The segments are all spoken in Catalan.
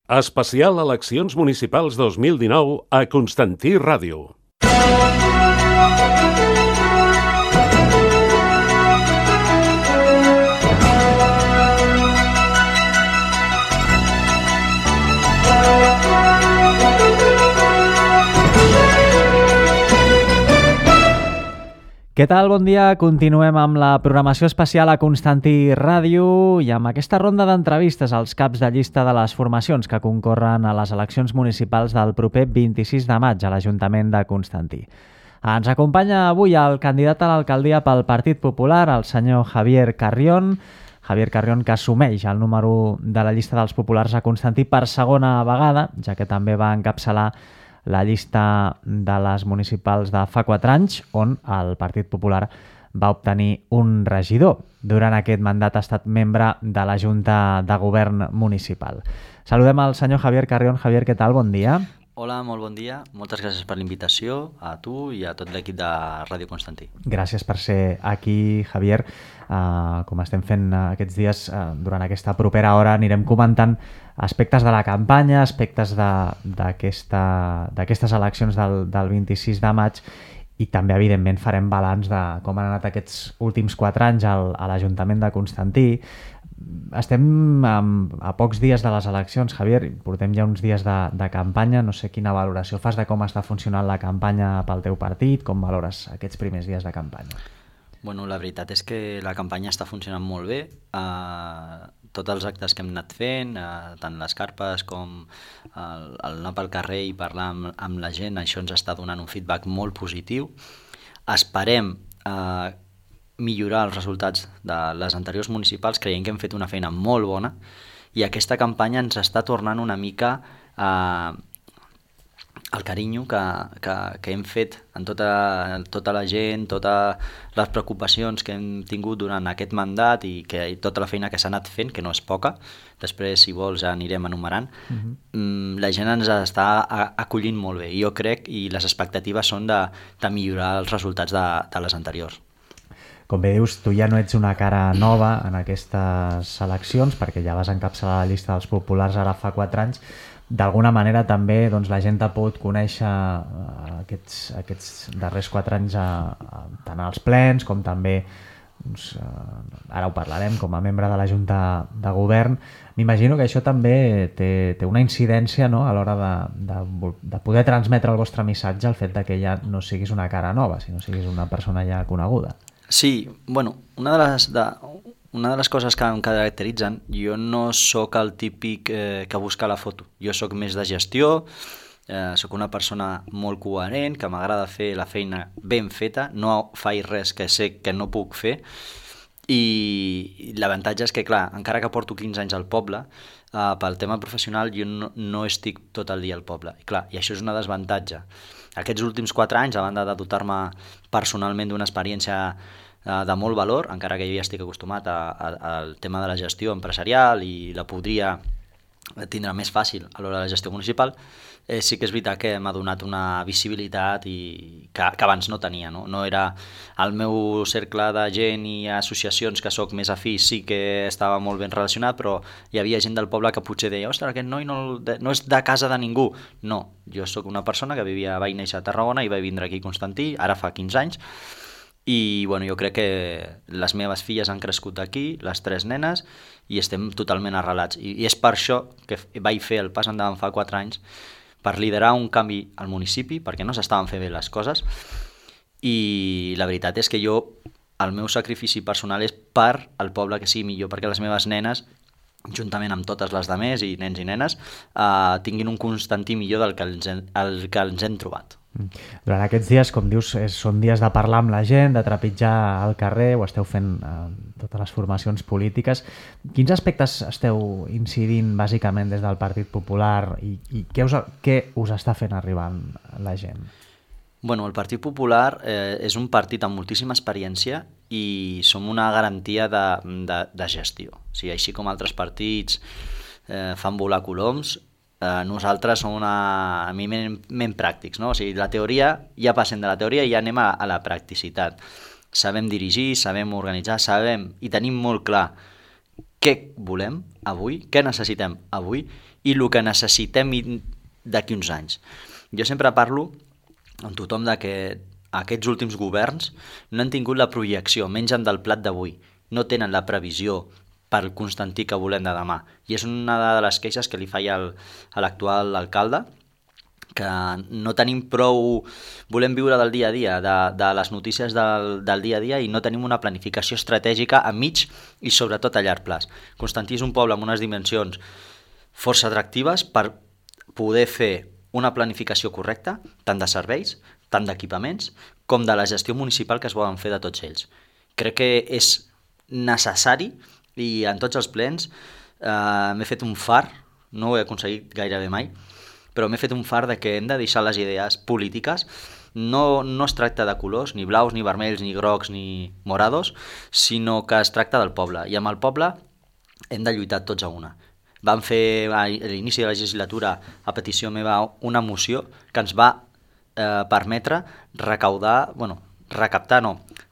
Especial Eleccions Municipals 2019 a Constantí Ràdio. Què tal? Bon dia. Continuem amb la programació especial a Constantí Ràdio i amb aquesta ronda d'entrevistes als caps de llista de les formacions que concorren a les eleccions municipals del proper 26 de maig a l'Ajuntament de Constantí. Ens acompanya avui el candidat a l'alcaldia pel Partit Popular, el senyor Javier Carrión. Javier Carrión, que assumeix el número de la llista dels populars a Constantí per segona vegada, ja que també va encapçalar la llista de les municipals de fa 4 anys, on el Partit Popular va obtenir un regidor. Durant aquest mandat ha estat membre de la Junta de Govern Municipal. Saludem al senyor Javier Carrión. Javier, què tal? Bon dia. Hola, molt bon dia. Moltes gràcies per l'invitació a tu i a tot l'equip de Ràdio Constantí. Gràcies per ser aquí, Javier. Com estem fent aquests dies, durant aquesta propera hora anirem comentant aspectes de la campanya, aspectes d'aquestes eleccions del 26 de maig i també, evidentment, farem balanç de com han anat aquests últims 4 anys a l'Ajuntament de Constantí. Estem a pocs dies de les eleccions, Javier, portem ja uns dies de campanya. No sé quina valoració fas de com està funcionant la campanya pel teu partit, com valores aquests primers dies de campanya? Bueno, la veritat és que la campanya està funcionant molt bé. Tots els actes que hem anat fent, tant les carpes com el anar pel carrer i parlar amb la gent, això ens està donant un feedback molt positiu. Esperem millorar els resultats de les anteriors municipals, creiem que hem fet una feina molt bona i aquesta campanya ens està tornant una mica el carinyo que hem fet en tota la gent, totes les preocupacions que hem tingut durant aquest mandat i tota la feina que s'ha anat fent, que no és poca, després, si vols, ja anirem enumerant. La gent ens està acollint molt bé i jo crec, i les expectatives són de millorar els resultats de les anteriors. Com bé dius, tu ja no ets una cara nova en aquestes eleccions perquè ja vas encapçalar la llista dels populars ara fa 4 anys. D'alguna manera també la gent t'ha pogut conèixer aquests darrers 4 anys tant als plens com també, ara ho parlarem, com a membre de la Junta de Govern. M'imagino que això també té una incidència, no?, a l'hora de poder transmetre el vostre missatge, el fet de que ja no siguis una cara nova, sinó siguis una persona ja coneguda. Sí, bueno, una de les coses que em caracteritzen, jo no sóc el típic que busca la foto. Jo sóc més de gestió, sóc una persona molt coherent, que m'agrada fer la feina ben feta, no faig res que sé que no puc fer, i l'avantatge és que, clar, encara que porto 15 anys al poble, pel tema professional jo no estic tot el dia al poble. I això és una desavantatge. Aquests últims 4 anys, a banda de dotar-me personalment d'una experiència de molt valor, encara que jo ja estic acostumat al tema de la gestió empresarial i la podria tindre més fàcil a l'hora de la gestió municipal, sí que és veritat que m'ha donat una visibilitat que abans no tenia. No era el meu cercle de gent i associacions que sóc més afí, sí que estava molt ben relacionat, però hi havia gent del poble que potser deia «Ostres, aquest noi no és de casa de ningú». No, jo sóc una persona que vaig néixer a Tarragona i vaig vindre aquí a Constantí, ara fa 15 anys, i bueno, jo crec que les meves filles han crescut aquí, les 3 nenes, i estem totalment arrelats. I és per això que vaig fer el pas endavant fa 4 anys, per liderar un canvi al municipi, perquè no s'estaven fent bé les coses, i la veritat és que el meu sacrifici personal és per al poble que sigui millor, perquè les meves nenes, juntament amb totes les demés i nens i nenes, tinguin un Constantí millor del que ens hem trobat. Durant aquests dies, com dius, són dies de parlar amb la gent, de trepitjar al carrer, ho esteu fent totes les formacions polítiques. Quins aspectes esteu incidint bàsicament des del Partit Popular i què us està fent arribar la gent? Bueno, el Partit Popular és un partit amb moltíssima experiència i som una garantia de gestió. O sigui, així com altres partits fan volar coloms, nosaltres som eminentment pràctics, no? O sigui, la teoria, ja passem de la teoria i ja anem a la practicitat. Sabem dirigir, sabem organitzar, sabem i tenim molt clar què volem avui, què necessitem avui i el que necessitem d'aquí uns anys. Jo sempre parlo amb tothom de que aquests últims governs no han tingut la projecció, mengen del plat d'avui, no tenen la previsió pel Constantí que volem de demà. I és una de les queixes que li faia a l'actual alcalde, que no tenim prou... Volem viure del dia a dia, de les notícies del dia a dia, i no tenim una planificació estratègica a mig i sobretot a llarg plaç. Constantí és un poble amb unes dimensions força atractives per poder fer una planificació correcta, tant de serveis, tant d'equipaments, com de la gestió municipal que es volen fer de tots ells. Crec que és necessari, i en tots els plens m'he fet un far, no ho he aconseguit gairebé mai, però m'he fet un far de que hem de deixar les idees polítiques. No es tracta de colors, ni blaus, ni vermells, ni grocs, ni morados, sinó que es tracta del poble. I amb el poble hem de lluitar tots a una. Vam fer a l'inici de la legislatura, a petició meva, una moció que ens va permetre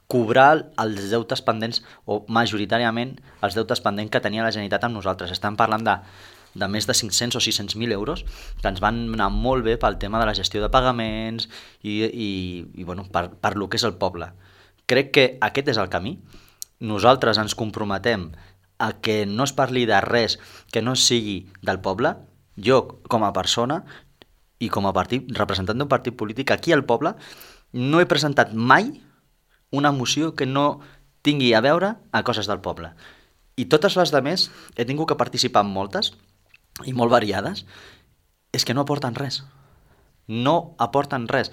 cobrar els deutes pendents, o majoritàriament els deutes pendents que tenia la Generalitat amb nosaltres. Estem parlant de més de 500 o 600.000 euros que ens van anar molt bé pel tema de la gestió de pagaments i per lo que és el poble. Crec que aquest és el camí. Nosaltres ens comprometem a que no es parli de res que no sigui del poble. Jo, com a persona i com a representant d'un partit polític aquí al poble, no he presentat mai una moció que no tingui a veure a coses del poble. I totes les demés he tingut que participar en moltes, i molt variades, és que no aporten res. No aporten res.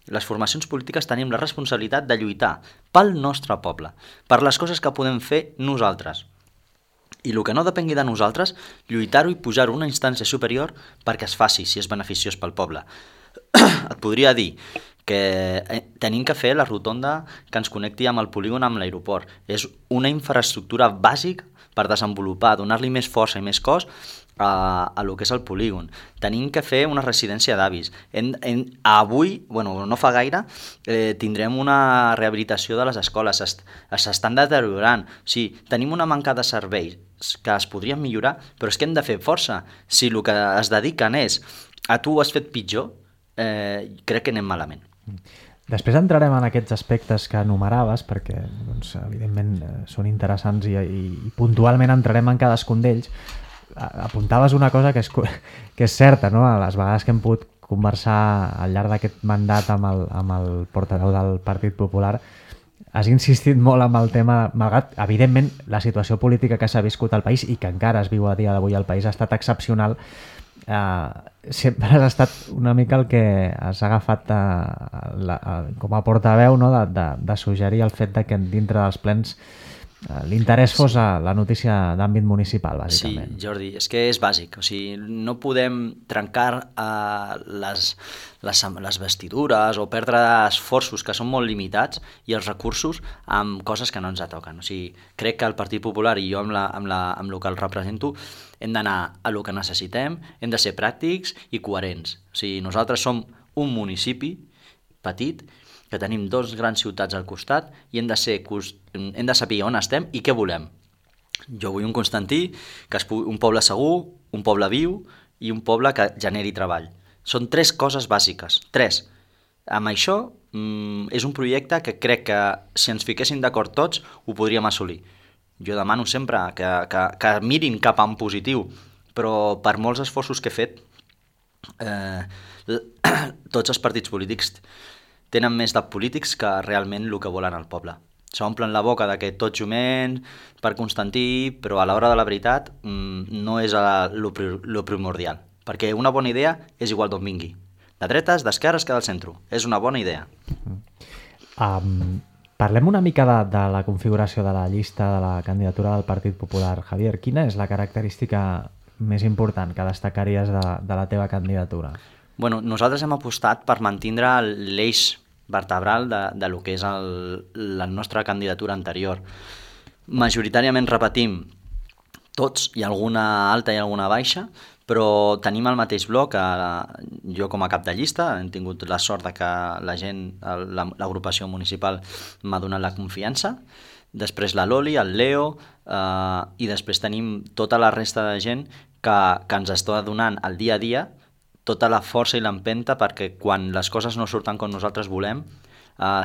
Les formacions polítiques tenim la responsabilitat de lluitar pel nostre poble, per les coses que podem fer nosaltres. I el que no depengui de nosaltres, lluitar-ho i pujar-ho a una instància superior perquè es faci, si és beneficiós pel poble. Et podria dir que tenim que fer la rotonda que ens connecti amb el polígon, amb l'aeroport. És una infraestructura bàsica per desenvolupar, donar-li més força i més cos a lo que és el polígon. Tenim que fer una residència d'avis. Avui, no fa gaire, tindrem una rehabilitació de les escoles. S'estan deteriorant. O sigui, tenim una manca de serveis que es podrien millorar, però és que hem de fer força. Si el que es dediquen és a tu ho has fet pitjor, crec que anem malament. Després entrarem en aquests aspectes que enumeraves, perquè evidentment són interessants i puntualment entrarem en cadascun d'ells. Apuntaves una cosa que és certa, no? A les vegades que hem pogut conversar al llarg d'aquest mandat amb el portaveu del Partit Popular, has insistit molt amb el tema, malgrat, evidentment, la situació política que s'ha viscut al país i que encara es viu a dia d'avui al país ha estat excepcional. Sempre has estat una mica el que has agafat com a portaveu, no? de suggerir el fet de que dintre dels plens l'interès fos la notícia d'àmbit municipal, bàsicament. Sí, Jordi, és que és bàsic. O sigui, no podem trencar les vestidures o perdre esforços que són molt limitats i els recursos amb coses que no ens toquen. O sigui, crec que el Partit Popular i jo amb el que el represento hem d'anar a lo que necessitem, hem de ser pràctics i coherents. O sigui, nosaltres som un municipi petit que tenim 2 grans ciutats al costat i hem de saber on estem i què volem. Jo vull un Constantí, un poble segur, un poble viu i un poble que generi treball. Són 3 coses bàsiques, 3. Amb això és un projecte que crec que si ens fiquéssim d'acord tots ho podríem assolir. Jo demano sempre que mirin cap a un positiu, però per molts esforços que he fet, tots els partits polítics tenen més de polítics que realment el que volen al poble. S'omplen la boca de que tots juments per Constantí, però a l'hora de la veritat no és lo primordial. Perquè una bona idea és igual d'on vingui. De dretes, d'esquerres, que del centre. És una bona idea. Parlem una mica de la configuració de la llista de la candidatura del Partit Popular. Javier, quina és la característica més important que destacaries de la teva candidatura? Nosaltres hem apostat per mantindre l'eix vertebral de lo que és la nostra candidatura anterior. Majoritàriament repetim tots, hi ha alguna alta i alguna baixa, però tenim el mateix bloc. Jo com a cap de llista hem tingut la sort de que la gent, l'agrupació municipal m'ha donat la confiança després la Loli, el Leo, i després tenim tota la resta de gent que ens està donant el dia a dia tota la força i l'empenta perquè quan les coses no surten com nosaltres volem,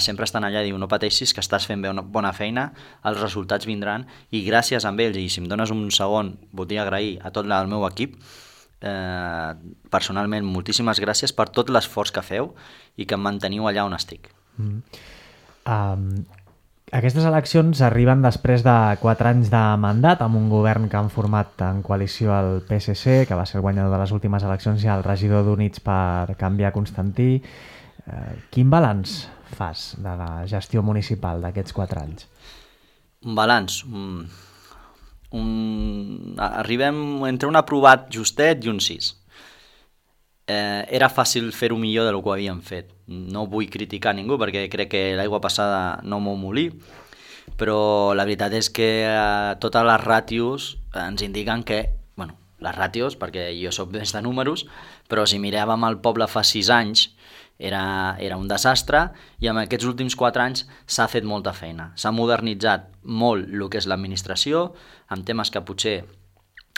sempre estan allà i diu no pateixis que estàs fent bona feina, els resultats vindran i gràcies a ells, i si em dones un segon voldria agrair a tot el meu equip, personalment moltíssimes gràcies per tot l'esforç que feu i que em manteniu allà on estic. Aquestes eleccions arriben després de 4 anys de mandat amb un govern que han format en coalició el PSC, que va ser el guanyador de les últimes eleccions, i el regidor d'Units per Canviar, Constantí. Quin balanç fas de la gestió municipal d'aquests 4 anys? Un balanç? Arribem entre un aprovat justet i un 6. Era fàcil fer-ho millor del que ho havíem fet. No vull criticar ningú perquè crec que l'aigua passada no m'ho molí, però la veritat és que totes les ràtios ens indiquen que, bueno, les ràtios, perquè jo soc més de números, però si miràvem el poble fa 6 anys era un desastre i en aquests últims 4 anys s'ha fet molta feina. S'ha modernitzat molt el que és l'administració, amb temes que potser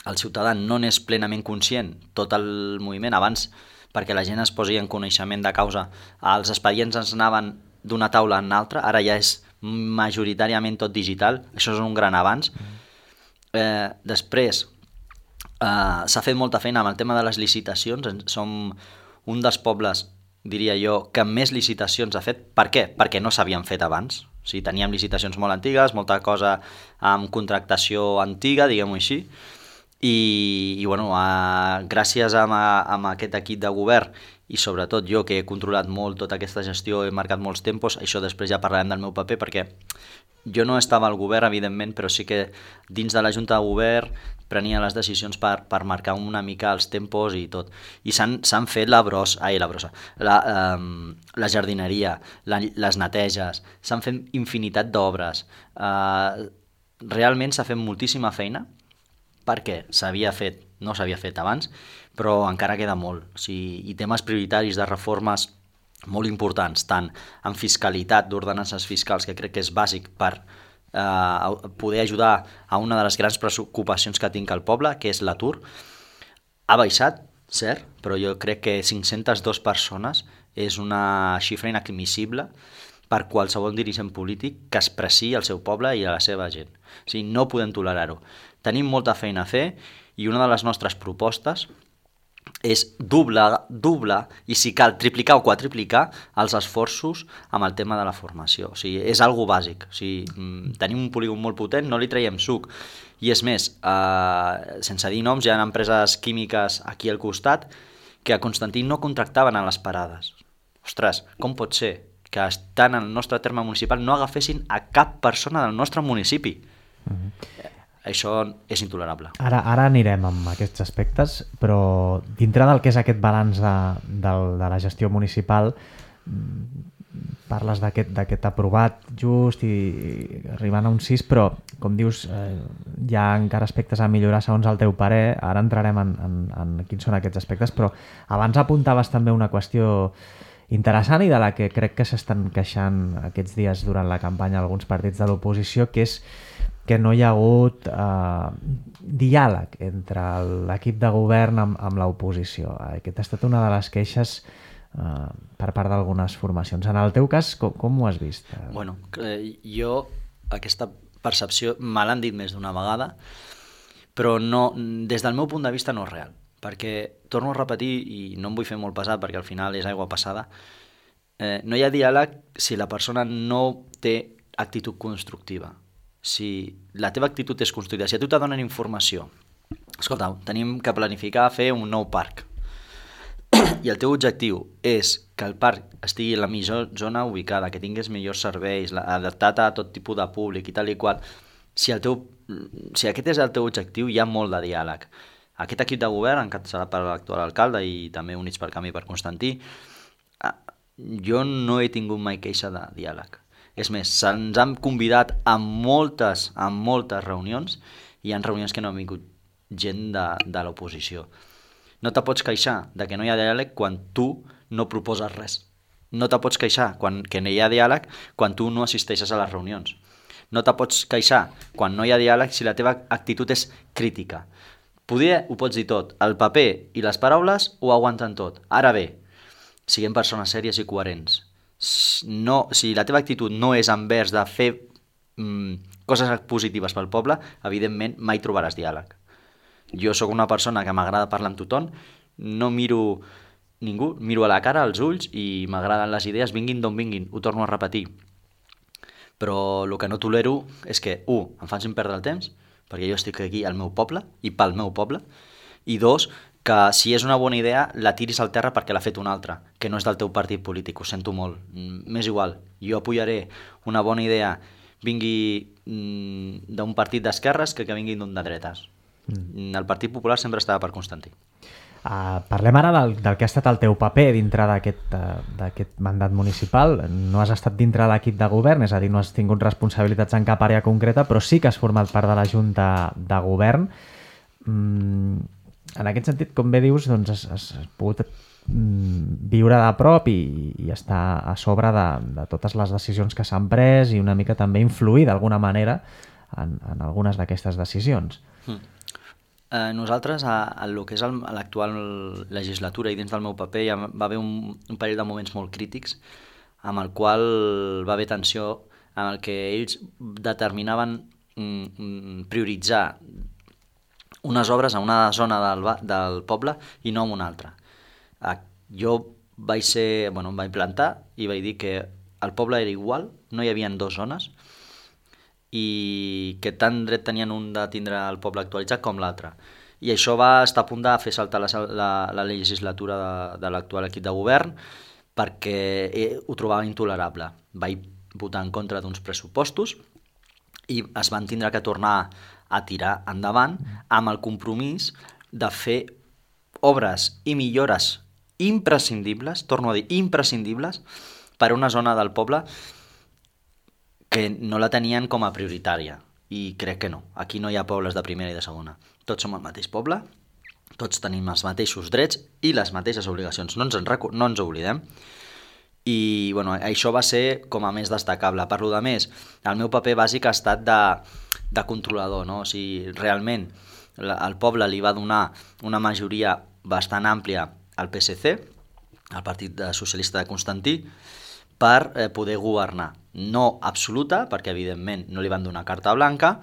el ciutadà no n'és plenament conscient, tot el moviment. Abans, perquè la gent es posi en coneixement de causa, els expedients ens anaven d'una taula en l'altra, ara ja és majoritàriament tot digital, això és un gran avanç. Després, s'ha fet molta feina amb el tema de les licitacions, som un dels pobles, diria jo, que més licitacions ha fet. Per què? Perquè no s'havien fet abans. O sigui, teníem licitacions molt antigues, molta cosa amb contractació antiga, diguem-ho així, i bueno, gràcies a aquest equip de govern i sobretot jo que he controlat molt tota aquesta gestió, he marcat molts tempos, això després ja parlarem del meu paper perquè jo no estava al govern evidentment, però sí que dins de la Junta de Govern prenia les decisions per marcar una mica els tempos i tot, i s'han fet la jardineria, les neteges, s'han fet infinitat d'obres, realment s'ha fet moltíssima feina perquè no s'havia fet abans, però encara queda molt. O sigui, i temes prioritaris de reformes molt importants, tant en fiscalitat, d'ordenances fiscals, que crec que és bàsic per poder ajudar a una de les grans preocupacions que tinc al poble, que és l'atur. Ha baixat, cert, però jo crec que 502 persones és una xifra inadmissible per qualsevol dirigent polític que expressi el seu poble i a la seva gent. O sigui, no podem tolerar-ho. Tenim molta feina a fer i una de les nostres propostes és doblar i si cal triplicar o quadriplicar els esforços amb el tema de la formació. O sigui, és algo bàsic. O sigui, tenim un polígon molt potent, no li traiem suc. I és més, sense dir noms, hi ha empreses químiques aquí al costat que a Constantí no contractaven a les parades. Ostres, com pot ser que estan en el nostre terme municipal no agafessin a cap persona del nostre municipi? Això és intolerable. Ara anirem amb aquests aspectes, però dintre del que és aquest balanç de la gestió municipal, parles d'aquest aprovat just i arribant a un 6, però, com dius, hi ha encara aspectes a millorar segons el teu parer. Ara entrarem en quins són aquests aspectes, però abans apuntaves també una qüestió interessant i de la que crec que s'estan queixant aquests dies durant la campanya alguns partits de l'oposició, que és que no hi ha hagut diàleg entre l'equip de govern amb l'oposició. Aquesta ha estat una de les queixes per part d'algunes formacions. En el teu cas, com ho has vist? Bueno, jo aquesta percepció me l'han dit més d'una vegada, però no, des del meu punt de vista no és real, perquè, torno a repetir, i no em vull fer molt pesat perquè al final és aigua passada, no hi ha diàleg si la persona no té actitud constructiva. Si la teva actitud és constructiva, si a tu te donen informació, escolta, tenim que planificar fer un nou parc, i el teu objectiu és que el parc estigui en la millor zona ubicada, que tingués millors serveis, adaptat a tot tipus de públic i tal i qual, si aquest és el teu objectiu, hi ha molt de diàleg. Aquest equip de govern, encapçalat per l'actual alcalde i també Units per Canvi per Constantí, jo no he tingut mai queixa de diàleg. És més, se'ns han convidat a moltes reunions i hi ha reunions que no han vingut gent de l'oposició. No te pots queixar de que no hi ha diàleg quan tu no proposes res. No te pots queixar que no hi ha diàleg quan tu no assisteixes a les reunions. No te pots queixar quan no hi ha diàleg si la teva actitud és crítica. Poder ho pots dir tot. El paper i les paraules ho aguanten tot. Ara bé, siguem persones sèries i coherents. No, si la teva actitud no és envers de fer coses positives pel poble, evidentment mai trobaràs diàleg. Jo sóc una persona que m'agrada parlar amb tothom, no miro ningú, miro a la cara, als ulls, i m'agraden les idees, vinguin d'on vinguin, ho torno a repetir. Però el que no tolero és que, em facin perdre el temps, perquè jo estic aquí al meu poble i pel meu poble, i dos, que si és una bona idea la tiris al terra perquè l'ha fet un altre, que no és del teu partit polític, ho sento molt, m'és igual, jo apoyaré una bona idea vingui d'un partit d'esquerres que vinguin d'un de dretes. El Partit Popular sempre estava per Constantí. Parlem ara del que ha estat el teu paper dintre d'aquest mandat municipal. No has estat dintre de l'equip de govern, és a dir, no has tingut responsabilitats en cap àrea concreta, però sí que has format part de la Junta de Govern. En aquest sentit, com bé dius, doncs has pogut viure de prop i estar a sobre de totes les decisions que s'han pres i una mica també influir d'alguna manera en algunes d'aquestes decisions. Nosaltres, en el que és l'actual legislatura i dins del meu paper, ja va haver un parell de moments molt crítics amb el qual va haver tensió, en el que ells determinaven prioritzar unes obres a una zona del poble i no a una altra. Jo em vaig plantar i vaig dir que el poble era igual, no hi havia dues zones, i que tant dret tenien un de tindre el poble actualitzat com l'altre. I això va estar a punt de fer saltar la legislatura de l'actual equip de govern perquè ho trobava intolerable. Vaig votar en contra d'uns pressupostos i es van tindre que tornar a tirar endavant amb el compromís de fer obres i millores imprescindibles, torno a dir imprescindibles, per a una zona del poble que no la tenien com a prioritària, i crec que no. Aquí no hi ha pobles de primera i de segona. Tots som el mateix poble, tots tenim els mateixos drets i les mateixes obligacions, no ens oblidem. I això va ser com a més destacable. Per lo de més, el meu paper bàsic ha estat de controlador, no? O sigui, realment el poble li va donar una majoria bastant àmplia al PSC, al Partit Socialista de Constantí, per poder governar. No absoluta, perquè evidentment no li van donar carta blanca,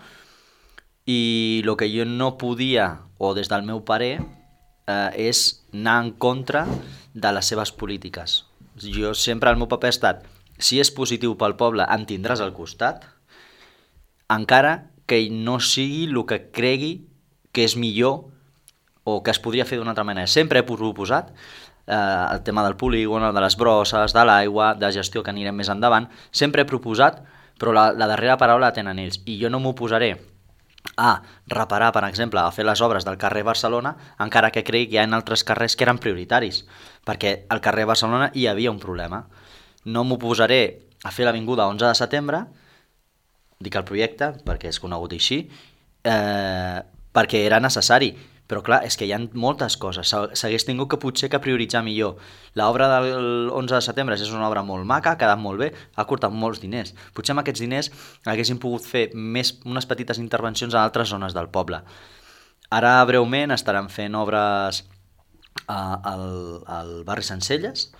i el que jo no podia, o des del meu parer, és anar en contra de les seves polítiques. Jo sempre, el meu paper ha estat, si és positiu pel poble, en tindràs al costat, encara que no sigui el que cregui que és millor o que es podria fer d'una altra manera. Sempre he proposat el tema del polígon, de les brosses, de l'aigua, de gestió, que anirem més endavant. Sempre he proposat, però la darrera paraula la tenen ells. I jo no m'oposaré a reparar, per exemple, a fer les obres del carrer Barcelona, encara que cregui que hi ha altres carrers que eren prioritaris, perquè al carrer Barcelona hi havia un problema. No m'oposaré a fer l'avinguda 11 de setembre, dic el projecte, perquè és conegut així, perquè era necessari. Però clar, és que hi ha moltes coses, s'hagués tingut que potser que prioritzar millor. L'obra del 11 de setembre és una obra molt maca, ha quedat molt bé, ha costat molts diners. Potser amb aquests diners haguéssim pogut fer unes petites intervencions a altres zones del poble. Ara, breument, estaran fent obres al barri Sencelles,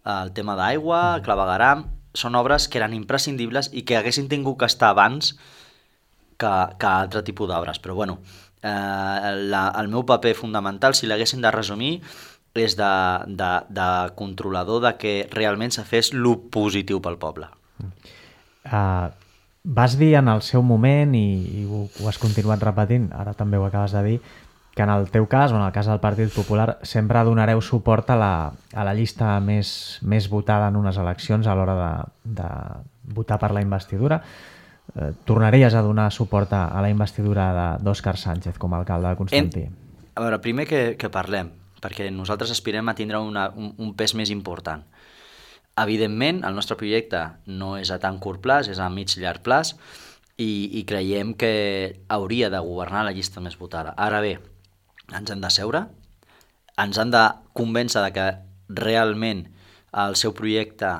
el tema d'aigua, clavegueram. Són obres que eren imprescindibles i que haguessin tingut que estar abans que altre tipus d'obres. Però bueno, el meu paper fonamental, si l'haguessin de resumir, és de controlador de que realment se fes lo positiu pel poble. Vas dir en el seu moment, i ho has continuat repetint, ara també ho acabes de dir, que en el teu cas, o en el cas del Partit Popular, sempre donareu suport a la llista més votada en unes eleccions a l'hora de votar per la investidura. Tornaries a donar suport a la investidura d'Òscar Sánchez com a alcalde de Constantí? A veure, primer que parlem, perquè nosaltres aspirem a tindre un pes més important. Evidentment, el nostre projecte no és a tan curt plaç, és a mig llarg plaç, i creiem que hauria de governar la llista més votada. Ara bé, ens hem de seure, ens han de convèncer de que realment el seu projecte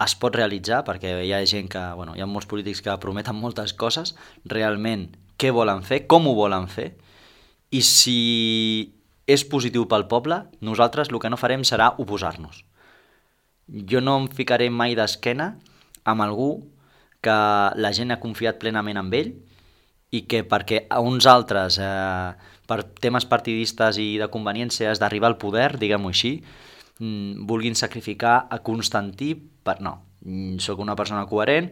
es pot realitzar, perquè hi ha gent que, hi ha molts polítics que prometen moltes coses, realment què volen fer, com ho volen fer, i si és positiu pel poble, nosaltres el que no farem serà oposar-nos. Jo no em ficaré mai d'esquena amb algú que la gent ha confiat plenament en ell i que perquè a uns altres, per temes partidistes i de conveniències d'arribar al poder, diguem-ho així, vulguin sacrificar a Constantí per no. Soc una persona coherent,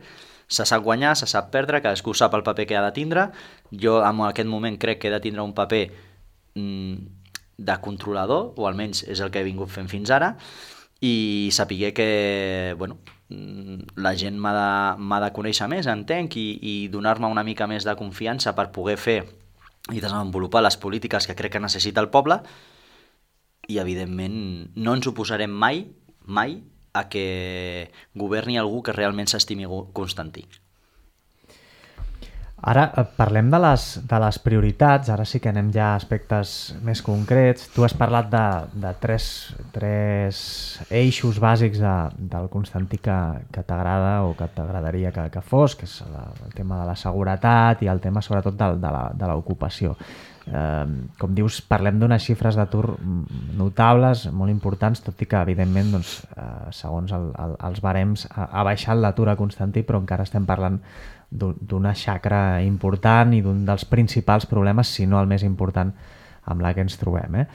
se sap guanyar, se sap perdre, cadascú sap el paper que ha de tindre. Jo en aquest moment crec que he de tindre un paper de controlador, o almenys és el que he vingut fent fins ara, i sapiguer que la gent m'ha de conèixer més, entenc, i donar-me una mica més de confiança per poder fer i desenvolupar les polítiques que crec que necessita el poble, i evidentment no ens oposarem mai a que governi algú que realment s'estimi Constantí. Ara parlem de les prioritats, ara sí que anem ja a aspectes més concrets. Tu has parlat de tres eixos bàsics del Constantí que t'agrada o que t'agradaria que fos, que és el tema de la seguretat i el tema sobretot de l'ocupació. Com dius, parlem d'unes xifres d'atur notables, molt importants, tot i que evidentment segons els barems ha baixat l'atur a Constantí, però encara estem parlant d'una xacra important i d'un dels principals problemes, si no el més important, amb la que ens trobem.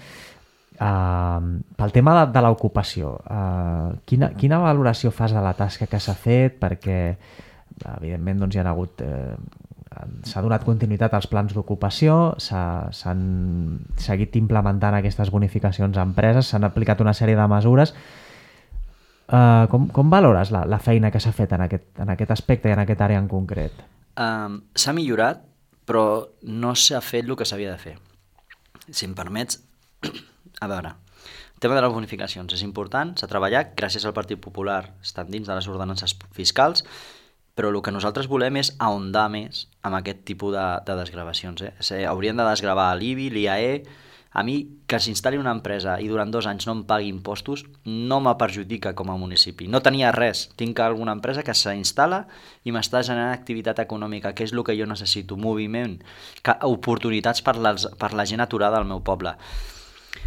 Pel tema de l'ocupació, quina valoració fas de la tasca que s'ha fet? Perquè, evidentment, hi ha hagut... s'ha donat continuïtat als plans d'ocupació, s'han seguit implementant aquestes bonificacions a empreses, s'han aplicat una sèrie de mesures. Com valores la feina que s'ha fet en aquest aspecte i en aquest àrea en concret? S'ha millorat, però no s'ha fet el que s'havia de fer. Si em permets, a veure, el tema de les bonificacions és important, s'ha treballat, gràcies al Partit Popular estan dins de les ordenances fiscals, però el que nosaltres volem és ahondar més amb aquest tipus de desgravacions. Haurien de desgravar l'IBI, l'IAE. A mi, que s'instal·li una empresa i durant 2 anys no em pagui impostos, no me perjudica com a municipi. No tenia res. Tinc alguna empresa que s'instal·la i m'està generant activitat econòmica, que és el que jo necessito, moviment, oportunitats per la gent aturada al meu poble.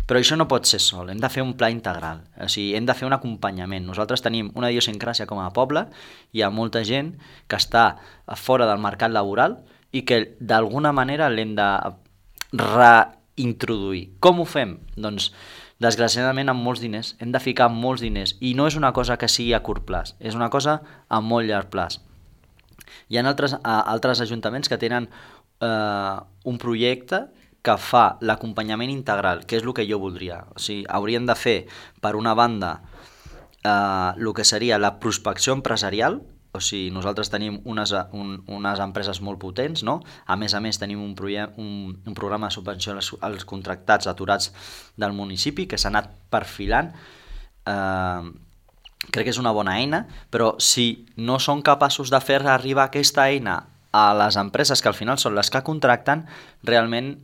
Però això no pot ser sol, hem de fer un pla integral, o sigui, hem de fer un acompanyament. Nosaltres tenim una idiosincràsia com a poble, hi ha molta gent que està fora del mercat laboral i que d'alguna manera l'hem de reintroduir. Com ho fem? Doncs, desgraciadament, amb molts diners. Hem de ficar molts diners i no és una cosa que sigui a curt plaç, és una cosa a molt llarg plaç. Hi ha altres ajuntaments que tenen un projecte que fa l'acompanyament integral, que és el que jo voldria. O sigui, hauríem de fer, per una banda, el que seria la prospecció empresarial. O sigui, nosaltres tenim unes empreses molt potents, no? A més, tenim un programa de subvenció als contractats aturats del municipi que s'ha anat perfilant. Crec que és una bona eina, però si no són capaços de fer arribar aquesta eina a les empreses que al final són les que contracten, realment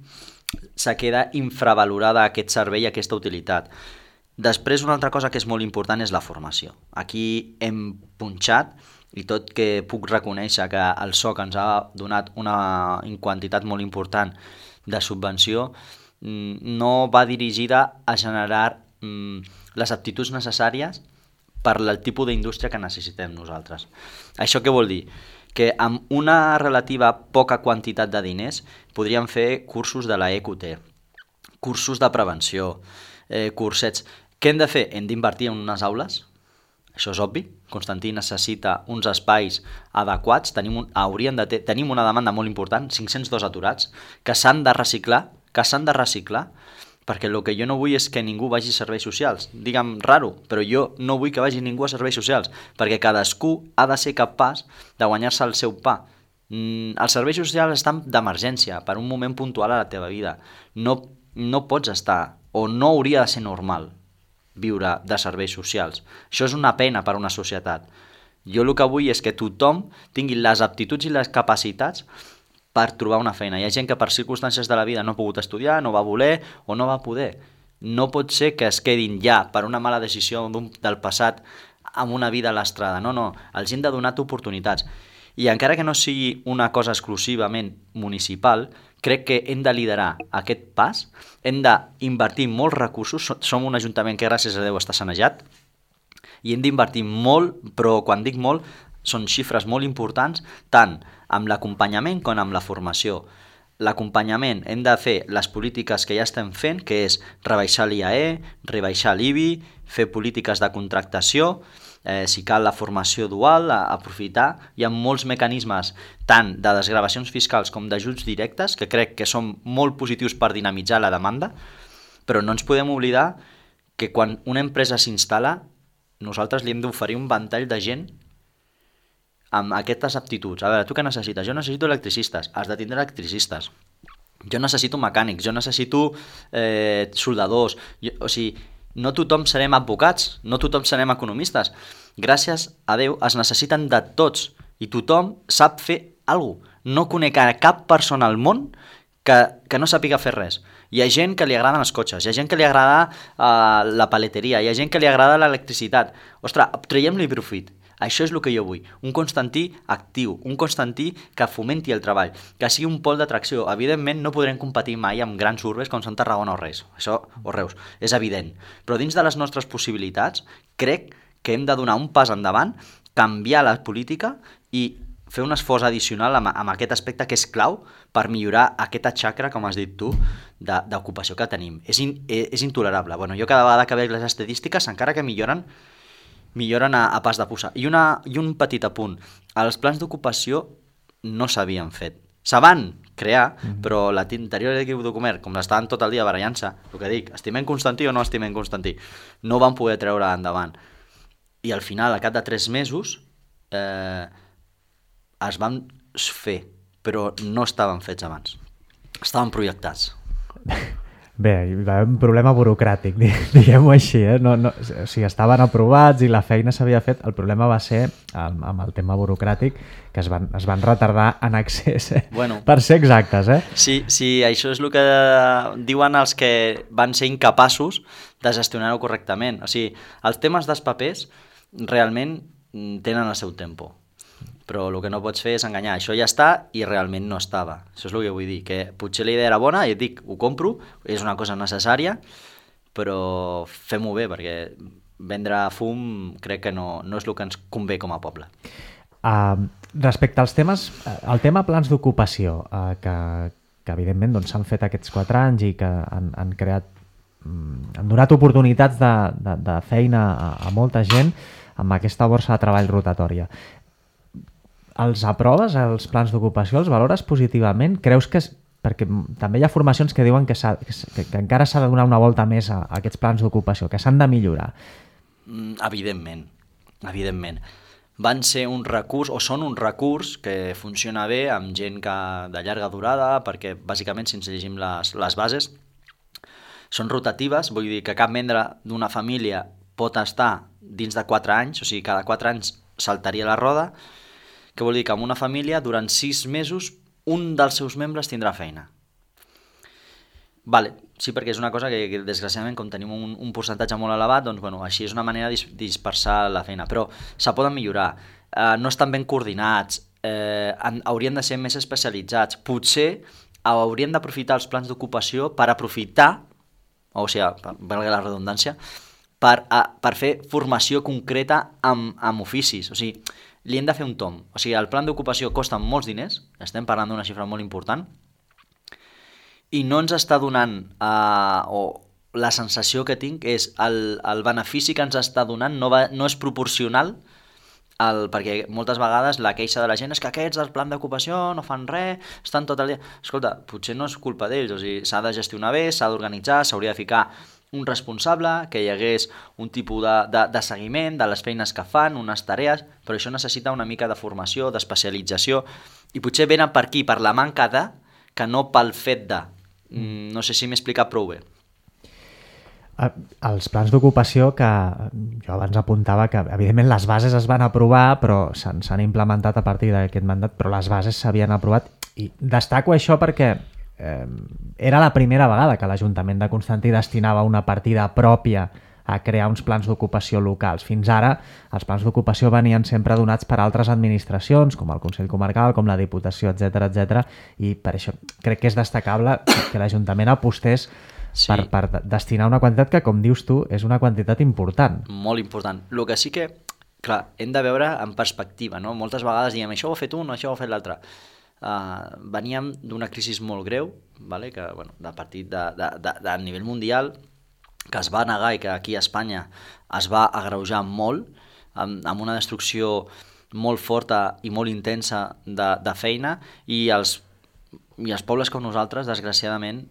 se queda infravalorada aquest servei i aquesta utilitat. Després, una altra cosa que és molt important és la formació. Aquí hem punxat, i tot que puc reconèixer que el SOC ens ha donat una quantitat molt important de subvenció, no va dirigida a generar les aptituds necessàries per al tipus d'indústria que necessitem nosaltres. Això què vol dir? Que amb una relativa poca quantitat de diners podríem fer cursos de la EQT, cursos de prevenció, cursets. Què hem de fer? Hem d'invertir en unes aules, això és obvi. Constantí necessita uns espais adequats, tenim una demanda molt important, 502 aturats, que s'han de reciclar, perquè el que jo no vull és que ningú vagi a serveis socials. Digue'm raro, però jo no vull que vagi ningú a serveis socials, perquè cadascú ha de ser capaç de guanyar-se el seu pa. Els serveis socials estan d'emergència, per un moment puntual a la teva vida. No pots estar, o no hauria de ser normal, viure de serveis socials. Això és una pena per a una societat. Jo el que vull és que tothom tingui les aptituds i les capacitats per trobar una feina. Hi ha gent que per circumstàncies de la vida no ha pogut estudiar, no va voler o no va poder. No pot ser que es quedin ja per una mala decisió del passat amb una vida a l'estrada. No, els hem de donar oportunitats. I encara que no sigui una cosa exclusivament municipal, crec que hem de liderar aquest pas, hem d'invertir molts recursos, som un ajuntament que gràcies a Déu està sanejat, i hem d'invertir molt, però quan dic molt, són xifres molt importants, tant amb l'acompanyament com amb la formació. L'acompanyament hem de fer les polítiques que ja estem fent, que és rebaixar l'IAE, rebaixar l'IBI, fer polítiques de contractació, si cal la formació dual, aprofitar. Hi ha molts mecanismes, tant de desgravacions fiscals com d'ajuts directes, que crec que són molt positius per dinamitzar la demanda, però no ens podem oblidar que quan una empresa s'instal·la, nosaltres li hem d'oferir un ventall de gent amb aquestes aptituds. A veure, tu què necessites? Jo necessito electricistes, has de tindre electricistes. Jo necessito mecànics, jo necessito soldadors, o sigui, no tothom serem advocats, no tothom serem economistes. Gràcies a Déu es necessiten de tots i tothom sap fer alguna cosa. No conec a cap persona al món que no sàpiga fer res. Hi ha gent que li agraden els cotxes, hi ha gent que li agrada la paleteria, hi ha gent que li agrada l'electricitat. Ostres, traiem-li profit. Això és el que jo vull, un Constantí actiu, un Constantí que fomenti el treball, que sigui un pol d'atracció. Evidentment no podrem competir mai amb grans urbes com són Tarragona o Reus, és evident. Però dins de les nostres possibilitats crec que hem de donar un pas endavant, canviar la política i fer un esforç addicional amb aquest aspecte que és clau per millorar aquesta xacra, com has dit tu, d'ocupació que tenim. És intolerable. Bueno, jo cada vegada que veig les estadístiques, encara que milloren a pas de puça. I un petit apunt. Els plans d'ocupació no s'havien fet. Se van crear, però l'interior d'equip de comerç, com estaven tot el dia barallant-se, el que dic, estimem Constantí o no estimem Constantí, no van poder treure endavant. I al final, al cap de 3 mesos, es van fer, però no estaven fets abans. Estaven projectats. Bé, hi va haver un problema burocràtic, diguem-ho així, No, o sigui, estaven aprovats i la feina s'havia fet. El problema va ser amb el tema burocràtic, que es van retardar en excés, Bueno, per ser exactes. Sí, això és el que diuen els que van ser incapaços de gestionar-ho correctament. O sigui, els temes dels papers realment tenen el seu tempo. Però el que no pots fer és enganyar. Això ja està i realment no estava. Això és el que vull dir, que potser la idea era bona i et dic, ho compro, és una cosa necessària, però fem-ho bé, perquè vendre fum crec que no és el que ens convé com a poble. Respecte als temes, el tema plans d'ocupació, que evidentment doncs, s'han fet aquests 4 anys i que han creat, han donat oportunitats de feina a molta gent amb aquesta borsa de treball rotatòria. Els aproves, els plans d'ocupació, els valores positivament? Creus que... Perquè també hi ha formacions que diuen que encara s'ha de donar una volta més a aquests plans d'ocupació, que s'han de millorar. Evidentment. Van ser un recurs, o són un recurs que funciona bé amb gent de llarga durada, perquè bàsicament, si ens llegim les bases, són rotatives, vull dir que cap membre d'una família pot estar dins de 4 anys, o sigui, cada 4 anys saltaria la roda, que vol dir que en una família, durant 6 mesos, un dels seus membres tindrà feina. Vale, sí, perquè és una cosa que desgraciadament, com tenim un percentatge molt elevat, doncs, bueno, així és una manera de dispersar la feina, però se poden millorar. No estan ben coordinats, haurien de ser més especialitzats. Potser haurien d'aprofitar els plans d'ocupació per aprofitar, o sigui, valga la redundància, per fer formació concreta amb oficis. O sigui, li hem de fer un tomb. O sigui, el plan d'ocupació costa molts diners, estem parlant d'una xifra molt important, i no ens està donant, o la sensació que tinc és el benefici que ens està donant no és proporcional, perquè moltes vegades la queixa de la gent és que aquests del plan d'ocupació no fan res, estan tot el dia... Escolta, potser no és culpa d'ells, o sigui, s'ha de gestionar bé, s'ha d'organitzar, s'hauria de ficar un responsable, que hi hagués un tipus de seguiment de les feines que fan, unes tarees, però això necessita una mica de formació, d'especialització, i potser venen per aquí, per la manca de, que no pel fet de. No sé si m'he explicat prou bé. Els plans d'ocupació, que jo abans apuntava que evidentment les bases es van aprovar, però s'han implementat a partir d'aquest mandat, però les bases s'havien aprovat, i destaco això perquè era la primera vegada que l'Ajuntament de Constantí destinava una partida pròpia a crear uns plans d'ocupació locals. Fins ara, els plans d'ocupació venien sempre donats per altres administracions, com el Consell Comarcal, com la Diputació, etc, i per això crec que és destacable que l'Ajuntament apostés per destinar una quantitat que, com dius tu, és una quantitat important. Molt important. El que sí que, clar, hem de veure en perspectiva, no? Moltes vegades diem, això ho ha fet un, això ho ha fet l'altre. Veníem d'una crisi molt greu, vale? Que, bueno, de partit de nivell mundial, que es va negar i que aquí a Espanya es va agreujar molt, amb una destrucció molt forta i molt intensa de feina, i els pobles com nosaltres, desgraciadament,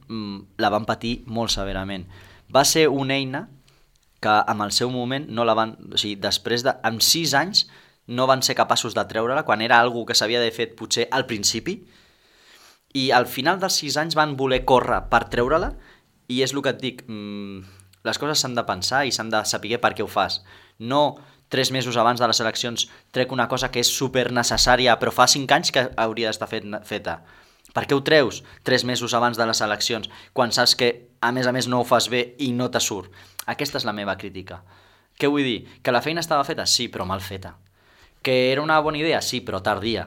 la van patir molt severament. Va ser una eina que en el seu moment no la van... O sigui, després en 6 anys no van ser capaços de treure-la, quan era algo que s'havia d'haver fet potser al principi, i al final dels 6 anys van voler córrer per treure-la, i és el que et dic, les coses s'han de pensar i s'han de saber per què ho fas. No 3 mesos abans de les eleccions trec una cosa que és super necessària, però fa 5 anys que hauria d'estar feta. Per què ho treus 3 mesos abans de les eleccions, quan saps que, a més, no ho fas bé i no te surt? Aquesta és la meva crítica. Què vull dir? Que la feina estava feta? Sí, però mal feta. Que era una bona idea? Sí, però tardia.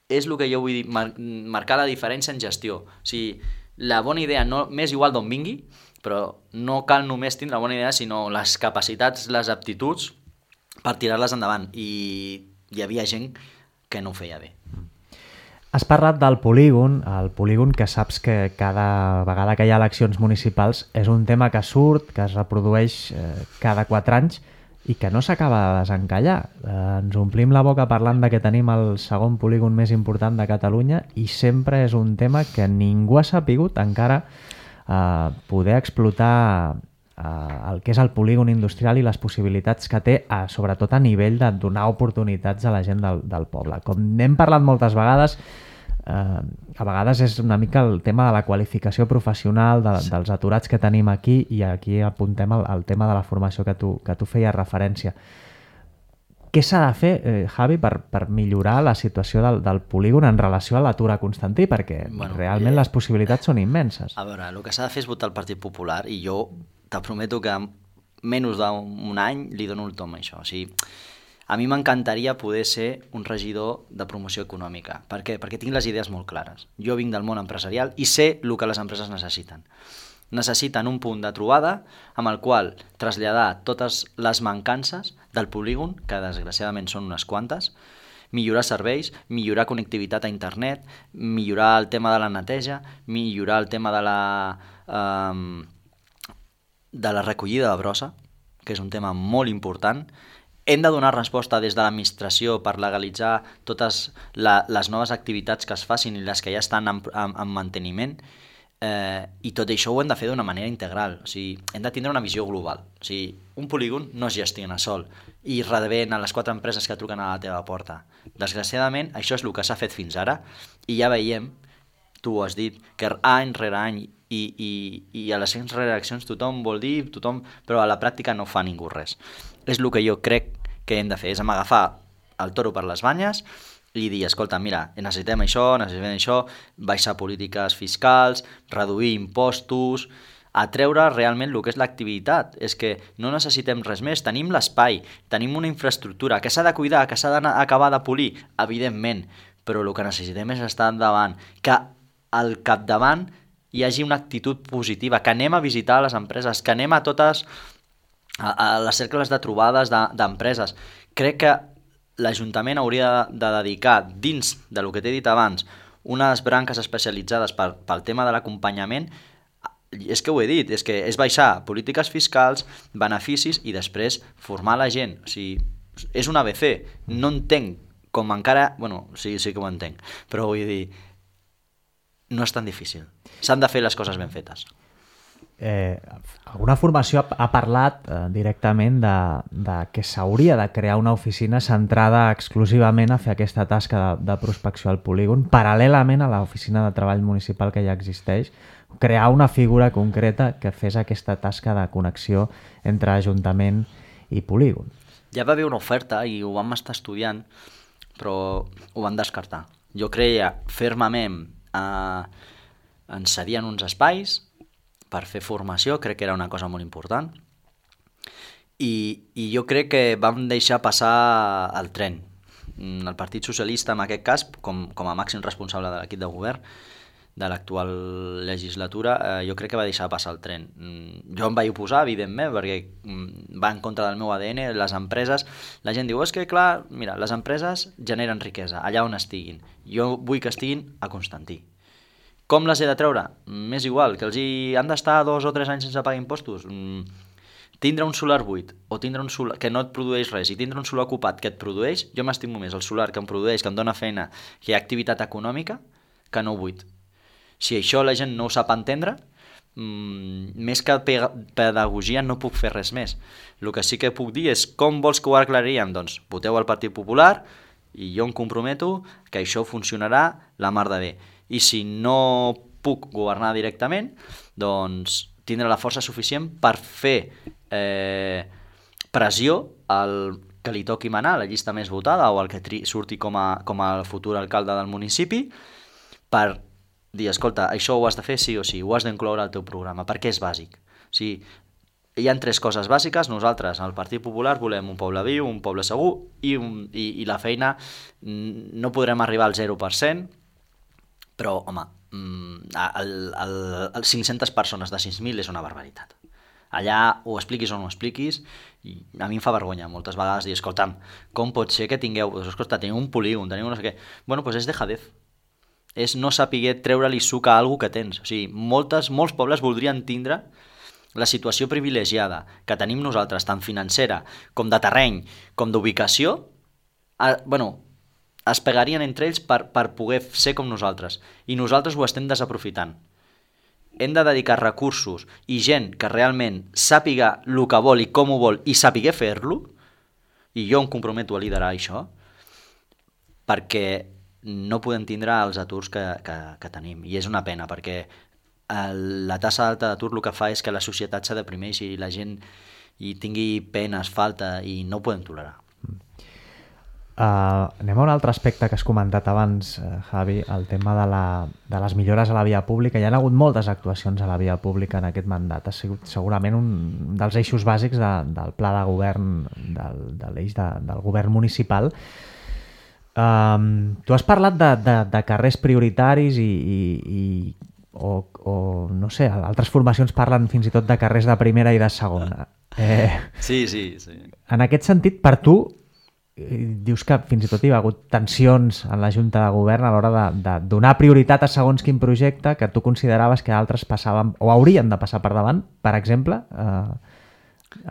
És el que jo vull dir, marcar la diferència en gestió. O sigui, la bona idea no m'és igual d'on vingui, però no cal només tindre la bona idea, sinó les capacitats, les aptituds per tirar-les endavant. I hi havia gent que no ho feia bé. Has parlat del polígon, el polígon que saps que cada vegada que hi ha eleccions municipals és un tema que surt, que es reprodueix cada 4 anys i que no s'acaba de desencallar. Ens omplim la boca parlant de que tenim el segon polígon més important de Catalunya i sempre és un tema que ningú ha sapigut encara poder explotar el que és el polígon industrial i les possibilitats que té, sobretot a nivell de donar oportunitats a la gent del poble. Com n'hem parlat moltes vegades, a vegades és una mica el tema de la qualificació professional dels aturats que tenim aquí, i aquí apuntem el tema de la formació que tu feies referència. Què s'ha de fer, Javi, per millorar la situació del polígon en relació a l'atur a Constantí? Perquè realment les possibilitats són immenses. A veure, el que s'ha de fer és votar el Partit Popular, i jo te prometo que en menys d'un any li dono el tom a això. O sigui, a mi m'encantaria poder ser un regidor de promoció econòmica. Per què? Perquè tinc les idees molt clares. Jo vinc del món empresarial i sé el que les empreses necessiten. Necessiten un punt de trobada amb el qual traslladar totes les mancances del polígon, que desgraciadament són unes quantes, millorar serveis, millorar connectivitat a internet, millorar el tema de la neteja, millorar el tema de la recollida de brossa, que és un tema molt important. Hem de donar resposta des de l'administració per legalitzar totes les noves activitats que es facin i les que ja estan en manteniment, i tot això ho hem de fer d'una manera integral. O sigui, hem de tindre una visió global. O sigui, un polígon no es gestiona sol i rebent a les 4 empreses que truquen a la teva porta. Desgraciadament, això és el que s'ha fet fins ara, i ja veiem, tu ho has dit, que any rere any i a les eleccions tothom vol dir, però a la pràctica no fa ningú res. És el que jo crec que hem de fer, és agafar el toro per les banyes i dir, escolta, mira, necessitem això, baixar polítiques fiscals, reduir impostos, atreure realment el que és l'activitat. És que no necessitem res més, tenim l'espai, tenim una infraestructura que s'ha de cuidar, que s'ha d'acabar de polir, evidentment, però el que necessitem és estar endavant, que al capdavant hi hagi una actitud positiva, que anem a visitar les empreses, que anem a totes a les cercles de trobades d'empreses. Crec que l'Ajuntament hauria de dedicar, dins del que t'he dit abans, unes branques especialitzades pel tema de l'acompanyament. És que ho he dit, és baixar polítiques fiscals, beneficis i després formar la gent. O sigui, és un ABC. No entenc com encara... Bueno, sí que ho entenc, però vull dir, no és tan difícil. S'han de fer les coses ben fetes. Alguna formació ha parlat directament de que s'hauria de crear una oficina centrada exclusivament a fer aquesta tasca de prospecció al polígon, paral·lelament a l'oficina de treball municipal que ja existeix, crear una figura concreta que fes aquesta tasca de connexió entre ajuntament i polígon. Ja va haver una oferta i ho vam estar estudiant, però ho vam descartar. Jo creia fermament ens cedien uns espais per fer formació, crec que era una cosa molt important, i jo crec que vam deixar passar el tren. El Partit Socialista, en aquest cas, com a màxim responsable de l'equip de govern de l'actual legislatura, jo crec que va deixar passar el tren. Jo em vaig oposar, evidentment, perquè va en contra del meu ADN, les empreses... La gent diu, és que clar, mira, les empreses generen riquesa, allà on estiguin. Jo vull que estiguin a Constantí. Com les he de treure? M'és igual, que els han d'estar 2 o 3 anys sense pagar impostos. Tindre un solar buit o tindre un solar que no et produeix res i tindre un solar ocupat que et produeix, jo m'estimo més el solar que em produeix, que em dona feina, que hi ha activitat econòmica, que no buit. Si això la gent no ho sap entendre, més que pedagogia no puc fer res més. El que sí que puc dir és com vols que ho aclaríem? Doncs voteu al Partit Popular i jo em comprometo que això funcionarà la mar de bé. I si no puc governar directament, doncs tindré la força suficient per fer pressió al que li toqui manar, la llista més votada o el que surti com a futur alcalde del municipi, per dir, escolta, això ho has de fer sí o sí, ho has d'incloure al teu programa, perquè és bàsic. O sigui, hi ha 3 coses bàsiques. Nosaltres, al Partit Popular, volem un poble viu, un poble segur i la feina. No podrem arribar al 0%, però, home, el 500 persones de 6.000 és una barbaritat. Allà ho expliquis o no ho expliquis, i a mi em fa vergonya moltes vegades dir, escolta'm, com pot ser que tingueu, escolta, teniu un polígon, teniu no sé què. Bueno, doncs és dejadez. És no saber treure-li suc a algú que tens. O sigui, molts pobles voldrien tindre la situació privilegiada que tenim nosaltres, tant financera com de terreny, com d'ubicació, es pegarien entre ells per poder ser com nosaltres. I nosaltres ho estem desaprofitant. Hem de dedicar recursos i gent que realment sàpiga el que vol i com ho vol i sàpiga fer-lo, i jo em comprometo a liderar això, perquè no podem tindre els aturs que tenim. I és una pena, perquè la tassa alta d'atur el que fa és que la societat s'ha deprimeix i la gent hi tingui penes, falta, i no ho podem tolerar. Anem a un altre aspecte que has comentat abans, Javi, el tema de les millores a la via pública. Hi ha hagut moltes actuacions a la via pública en aquest mandat. Ha sigut segurament un dels eixos bàsics del pla de govern, de l'eix del govern municipal. Tu has parlat de carrers prioritaris o no sé, altres formacions parlen fins i tot de carrers de primera i de segona. Sí. En aquest sentit, per tu, dius que fins i tot hi ha hagut tensions en la Junta de Govern a l'hora de donar prioritat a segons quin projecte que tu consideraves que altres passaven o haurien de passar per davant, per exemple.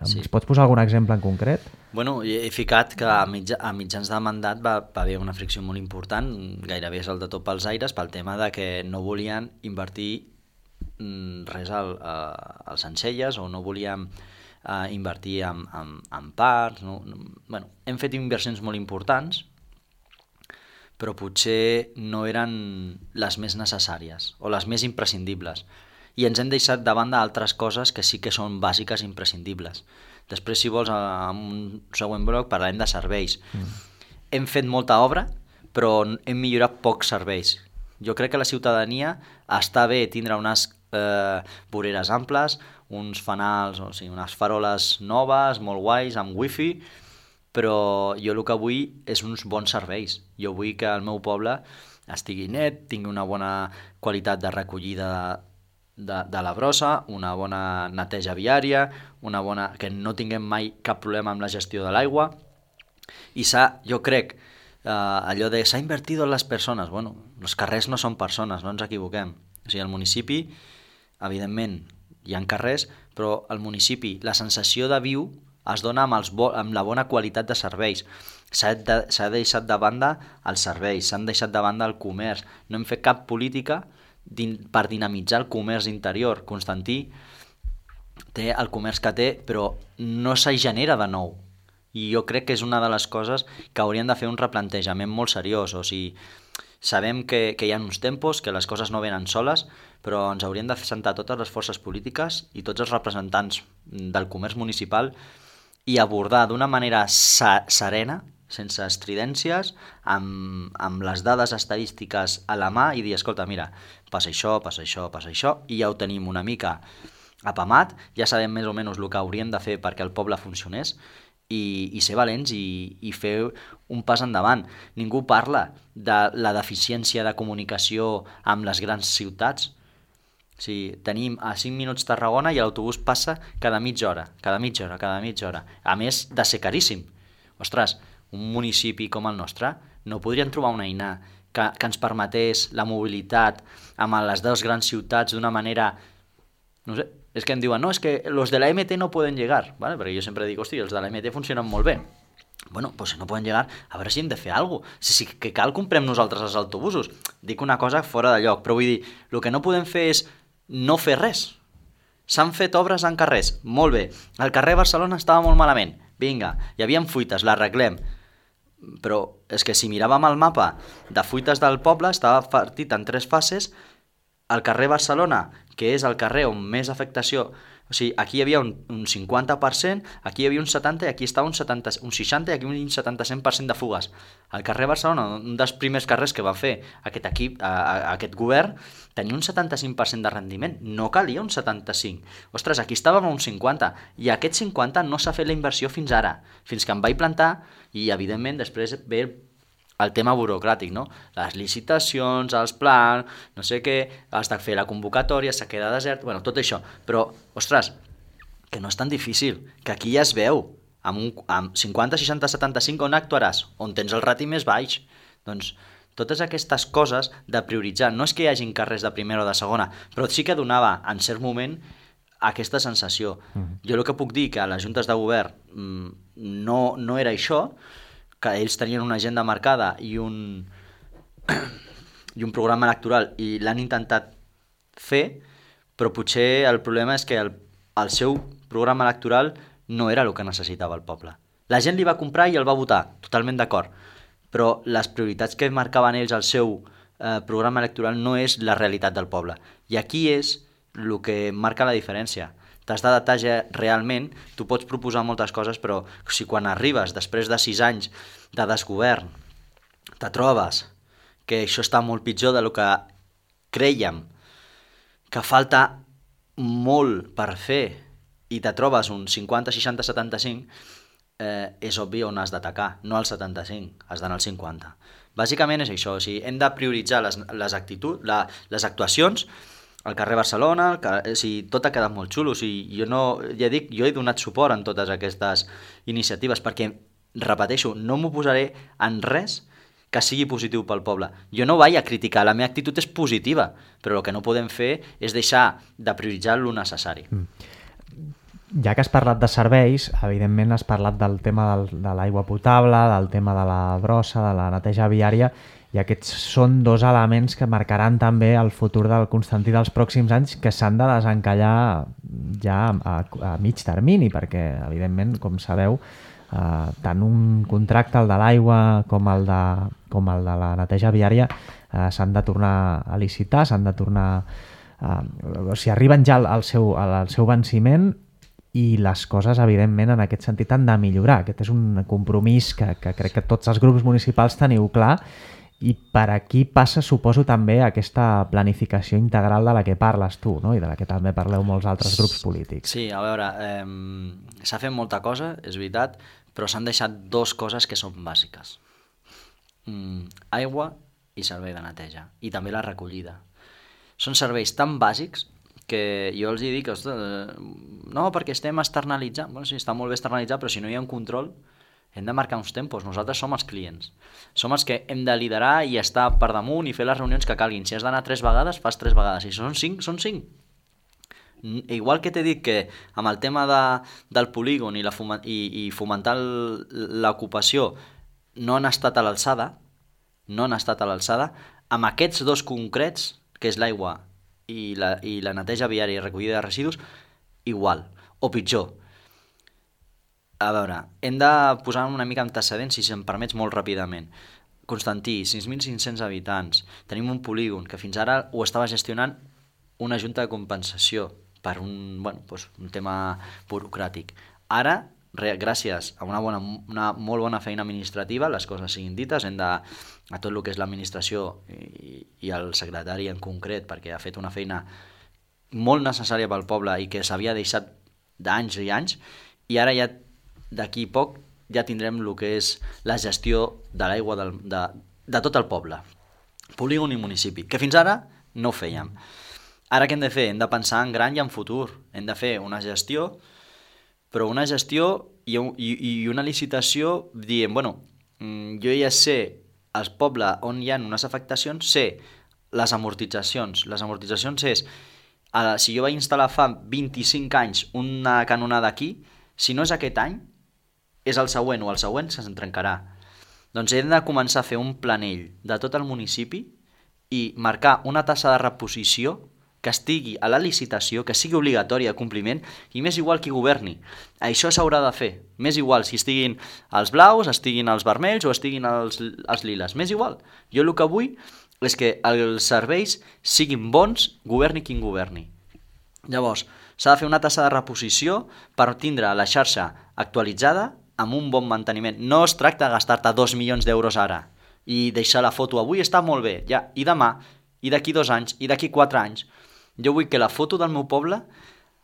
Sí. Ens pots posar algun exemple en concret? Bueno, he ficat que a mitjans de mandat va haver una fricció molt important, gairebé és el de tot pels aires, pel tema de que no volien invertir res als Sencelles o no volíem invertir en parcs. Bueno, hem fet inversions molt importants, però potser no eren les més necessàries o les més imprescindibles. I ens hem deixat de banda altres coses que sí que són bàsiques i imprescindibles. Després, si vols, en un següent bloc parlarem de serveis. Hem fet molta obra, però hem millorat pocs serveis. Jo crec que la ciutadania està bé tindre unes voreres amples, uns fanals, o sigui, unes faroles noves, molt guais, amb wifi, però jo el que vull és uns bons serveis. Jo vull que el meu poble estigui net, tingui una bona qualitat de recollida de la brossa, una bona neteja viària, que no tinguem mai cap problema amb la gestió de l'aigua. I jo crec, allò de s'ha invertit en les persones. Bueno, els carrers no són persones, no ens equivoquem. O sigui, al municipi, evidentment, hi ha carrers, però al municipi la sensació de viu es dona amb la bona qualitat de serveis. S'ha deixat de banda els serveis, s'han deixat de banda el comerç. No hem fet cap política per dinamitzar el comerç interior. Constantí té el comerç que té, però no se genera de nou. I jo crec que és una de les coses que haurien de fer un replantejament molt seriós. O sigui, sabem que hi ha uns tempos, que les coses no venen soles, però ens haurien de sentar totes les forces polítiques i tots els representants del comerç municipal i abordar d'una manera serena, sense estridències, amb les dades estadístiques a la mà i dir, escolta, mira, passa això, i ja ho tenim una mica apamat, ja sabem més o menys el que hauríem de fer perquè el poble funcionés, i ser valents i fer un pas endavant. Ningú parla de la deficiència de comunicació amb les grans ciutats. O sigui, tenim a 5 minuts Tarragona i l'autobús passa cada mitja hora. A més de ser caríssim. Ostres, un municipi com el nostre no podrien trobar una eina que ens permetés la mobilitat amb les dues grans ciutats d'una manera... No sé, és que em diuen, no, és que los de la MT no pueden llegar, ¿vale? Perquè jo sempre dic, hosti, els de la MT funcionen molt bé. Bueno, pues si no poden llegar, a veure si hem de fer alguna cosa. Si que cal, comprem nosaltres els autobusos. Dic una cosa fora de lloc, però vull dir, el que no podem fer és no fer res. S'han fet obres en carrers, molt bé. El carrer Barcelona estava molt malament. Vinga, hi havia fuites, l'arreglem. Però és que si miràvem el mapa de fuites del poble, estava partit en 3 fases. El carrer Barcelona, que és el carrer on més afectació... O sigui, aquí hi havia un 50%, aquí hi havia un 70% i aquí estava un 60% i aquí un 70% de fugues. El carrer Barcelona, un dels primers carrers que va fer aquest equip, aquest govern, tenia un 75% de rendiment. No calia un 75%. Ostres, aquí estàvem a un 50%. I aquest 50% no s'ha fet la inversió fins ara. Fins que em vaig plantar i, evidentment, després ve el tema burocràtic, no? Les licitacions, els plans, no sé què, has de fer la convocatòria, s'ha quedat desert, bueno, tot això. Però, ostres, que no és tan difícil, que aquí ja es veu, amb 50, 60, 75, on actuaràs? On tens el rati més baix? Doncs totes aquestes coses de prioritzar, no és que hi hagin carrers de primera o de segona, però sí que donava, en cert moment, aquesta sensació. Jo el que puc dir que a les juntes de govern no era això, que ells tenien una agenda marcada i un programa electoral i l'han intentat fer, però potser el problema és que el seu programa electoral no era el que necessitava el poble. La gent li va comprar i el va votar, totalment d'acord, però les prioritats que marcaven ells al seu programa electoral no és la realitat del poble. I aquí és el que marca la diferència. T'has d'adaptar realment, tu pots proposar moltes coses, però si quan arribes, després de 6 anys de desgovern, te trobes que això està molt pitjor del que crèiem, que falta molt per fer, i te trobes un 50, 60, 75, és obvi on has d'atacar, no al 75, has d'anar al 50. Bàsicament és això, o sigui, hem de prioritzar les actuacions. Al carrer Barcelona, tot ha quedat molt xulo. O sigui, jo he donat suport en totes aquestes iniciatives perquè, repeteixo, no m'oposaré en res que sigui positiu pel poble. Jo no vaig a criticar, la meva actitud és positiva, però el que no podem fer és deixar de prioritzar lo necessari. Ja que has parlat de serveis, evidentment has parlat del tema de l'aigua potable, del tema de la brossa, de la neteja viària, i aquests són 2 elements que marcaran també el futur del Constantí dels pròxims anys, que s'han de desencallar ja a mig termini, perquè, evidentment, com sabeu, tant un contracte, el de l'aigua com el de la neteja viària, s'han de tornar a licitar, s'han de tornar... O sigui, arriben ja al seu venciment i les coses, evidentment, en aquest sentit han de millorar. Aquest és un compromís que crec que tots els grups municipals teniu clar. I per aquí passa, suposo, també aquesta planificació integral de la que parles tu, no? I de la que també parleu molts altres grups polítics. Sí, a veure, s'ha fet molta cosa, és veritat, però s'han deixat 2 coses que són bàsiques. Aigua i servei de neteja, i també la recollida. Són serveis tan bàsics que jo els dic, no, perquè estem externalitzant. Bueno, sí, està molt bé externalitzar, però si no hi ha un control, hem de marcar uns tempos. Nosaltres som els clients. Som els que hem de liderar i estar per damunt i fer les reunions que calguin. Si has d'anar 3 vegades, fas 3 vegades. Si són 5, són 5. Igual que t'he dit que amb el tema del polígon i fomentar l'ocupació no han estat a l'alçada, amb aquests 2 concrets, que és l'aigua i la neteja viària i recollida de residus, igual, o pitjor. A veure, hem de posar una mica antecedents, si se'm permets, molt ràpidament. Constantí, 6.500 habitants, tenim un polígon que fins ara ho estava gestionant una junta de compensació per un tema burocràtic. Ara, gràcies a una molt bona feina administrativa, les coses siguin dites, hem de, a tot el que és l'administració i el secretari en concret, perquè ha fet una feina molt necessària pel poble i que s'havia deixat d'anys i anys, i ara ja d'aquí poc ja tindrem el que és la gestió de l'aigua de tot el poble, polígon i municipi, que fins ara no ho fèiem. Ara què hem de fer? Hem de pensar en gran i en futur. Hem de fer una gestió, però una gestió i una licitació dient, bueno, jo ja sé al poble on hi ha unes afectacions, sé les amortitzacions. Les amortitzacions és, si jo vaig instal·lar fa 25 anys una canonada aquí, si no és aquest any, és el següent o el següent se'n trencarà. Doncs hem de començar a fer un planell de tot el municipi i marcar una tassa de reposició que estigui a la licitació, que sigui obligatòria de compliment, i m'és igual qui governi. Això s'haurà de fer. M'és igual si estiguin els blaus, estiguin els vermells o estiguin els liles. M'és igual. Jo el que vull és que els serveis siguin bons, governi qui governi. Llavors, s'ha de fer una tassa de reposició per tindre la xarxa actualitzada amb un bon manteniment. No es tracta de gastar-te 2 milions d'euros ara i deixar la foto avui està molt bé, ja, i demà, i d'aquí 2 anys, i d'aquí 4 anys. Jo vull que la foto del meu poble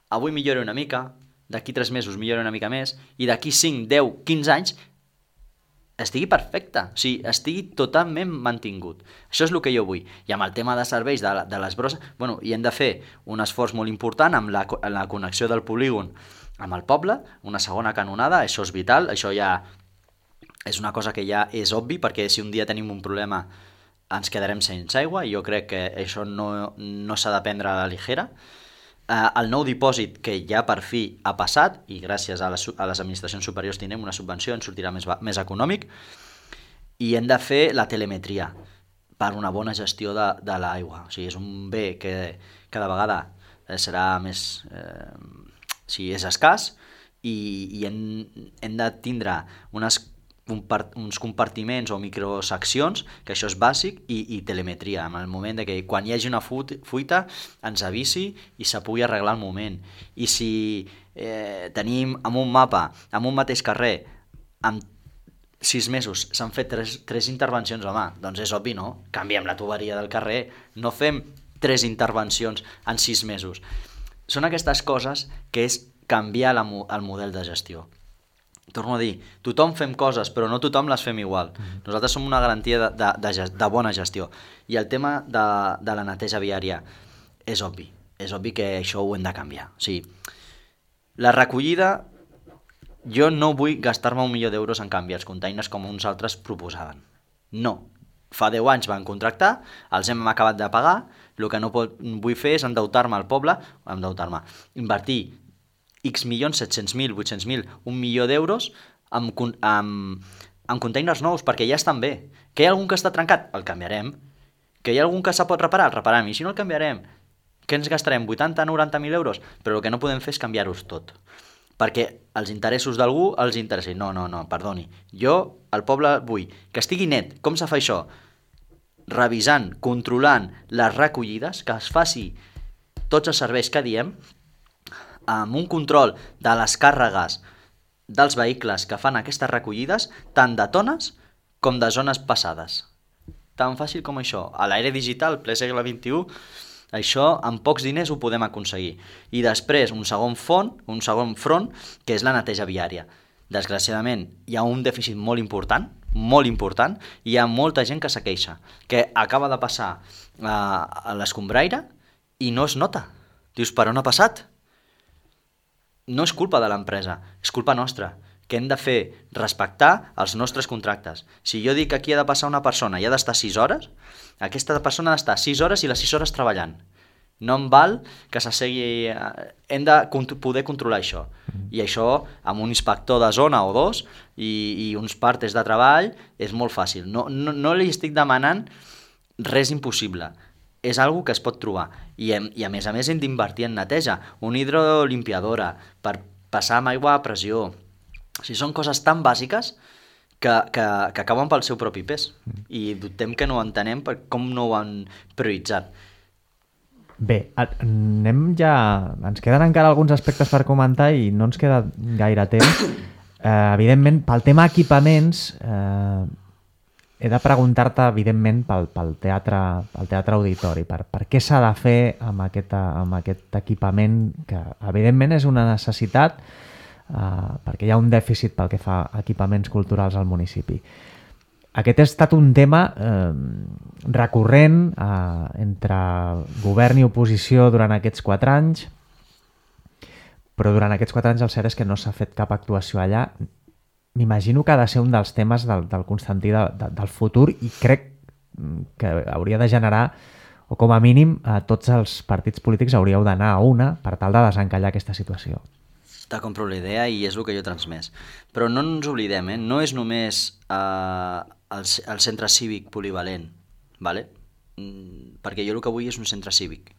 avui millori una mica, d'aquí 3 mesos millori una mica més, i d'aquí 5, 10, 15 anys estigui perfecta, o sigui, estigui totalment mantingut. Això és el que jo vull. I amb el tema de serveis de les brosses, bueno, hi hem de fer un esforç molt important amb la connexió del polígon amb el poble, una segona canonada, això és vital, això ja és una cosa que ja és obvi, perquè si un dia tenim un problema ens quedarem sense aigua, i jo crec que això no s'ha de prendre a la ligera. El nou dipòsit que ja per fi ha passat, i gràcies a les administracions superiors tindrem una subvenció, ens sortirà més econòmic, i hem de fer la telemetria per una bona gestió de l'aigua. O sigui, és un bé que cada vegada serà més... és escàs, i hem de tindre uns compartiments o microseccions, que això és bàsic, i telemetria, en el moment de que quan hi hagi una fuita ens avisi i se pugui arreglar al moment. I si tenim en un mapa, en un mateix carrer, en 6 mesos s'han fet 3 intervencions, home, doncs és obvi, no? Canviem la tuberia del carrer, no fem 3 intervencions en 6 mesos. Són aquestes coses que és canviar el model de gestió. Torno a dir, tothom fem coses, però no tothom les fem igual. Nosaltres som una garantia de bona gestió. I el tema de la neteja viària és obvi. És obvi que això ho hem de canviar. O sigui, la recollida, jo no vull gastar-me 1 milió d'euros en canviar els containers com uns altres proposaven. No. Fa 10 anys van contractar, els hem acabat de pagar, el que no vull fer és endeutar-me al poble, invertir X milions, 700.000, 800.000, 1 milió d'euros en containers nous, perquè ja estan bé. Que hi ha algun que està trencat? El canviarem. Que hi ha algun que se pot reparar? El repararem. I si no el canviarem, què ens gastarem? 80, 90.000 euros? Però el que no podem fer és canviar-los tot. Perquè els interessos d'algú els interessi. No, perdoni. Jo, al poble, vull que estigui net. Com se fa això? Revisant, controlant les recollides, que es faci tots els serveis que diem, amb un control de les càrregues dels vehicles que fan aquestes recollides, tant de tones com de zones passades. Tan fàcil com això. A l'era digital, ple segle XXI, això amb pocs diners ho podem aconseguir. I després un segon front, que és la neteja viària. Desgraciadament, hi ha un dèficit molt important, i hi ha molta gent que se queixa, que acaba de passar a l'escombraire i no es nota. Dius, per on ha passat? No és culpa de l'empresa, és culpa nostra, que hem de fer respectar els nostres contractes. Si jo dic que aquí ha de passar una persona i ha d'estar 6 hores, aquesta persona ha d'estar 6 hores i les 6 hores treballant. No em val que s'assegui... Hem de poder controlar això. I això, amb un inspector de zona o 2 i uns partes de treball, és molt fàcil. No li estic demanant res impossible. És algo que es pot trobar. I a més hem d'invertir en neteja. Una hidrolimpiadora per passar amb aigua a pressió. O sigui, són coses tan bàsiques que acaben pel seu propi pes. I dubtem que no ho entenem per com no ho han prioritzat. Bé, anem ja... Ens queden encara alguns aspectes per comentar i no ens queda gaire temps. Evidentment, pel tema equipaments, he de preguntar-te, evidentment, pel teatre auditori, per què s'ha de fer amb aquest equipament, que evidentment és una necessitat, perquè hi ha un dèficit pel que fa a equipaments culturals al municipi. Aquest ha estat un tema recurrent entre govern i oposició durant aquests 4 anys, però durant aquests 4 anys el cert és que no s'ha fet cap actuació allà. M'imagino que ha de ser un dels temes del Constantí del futur i crec que hauria de generar, o com a mínim tots els partits polítics hauríeu d'anar a una per tal de desencallar aquesta situació. Te compro la idea i és el que jo he transmès. Però no ens oblidem, no és només el centre cívic polivalent, ¿vale? Perquè jo el que vull és un centre cívic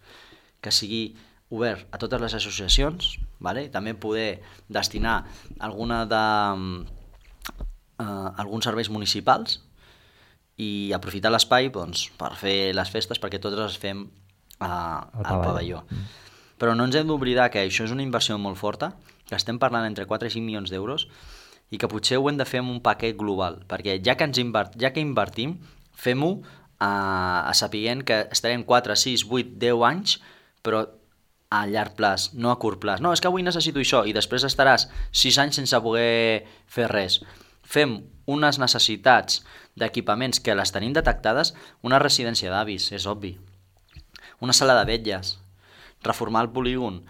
que sigui obert a totes les associacions, ¿vale? També poder destinar alguns serveis municipals i aprofitar l'espai doncs, per fer les festes, perquè totes les fem al pavelló. Però no ens hem d'oblidar que això és una inversió molt forta, que estem parlant entre 4 i 5 milions d'euros i que potser ho hem de fer amb un paquet global, perquè ja que invertim, fem-ho sapiguent que estarem 4, 6, 8, 10 anys, però a llarg plaç, no a curt plaç. No, és que avui necessito això i després estaràs 6 anys sense poder fer res. Fem unes necessitats d'equipaments que les tenim detectades, una residència d'avis, és obvi, una sala de vetlles, reformar el polígon,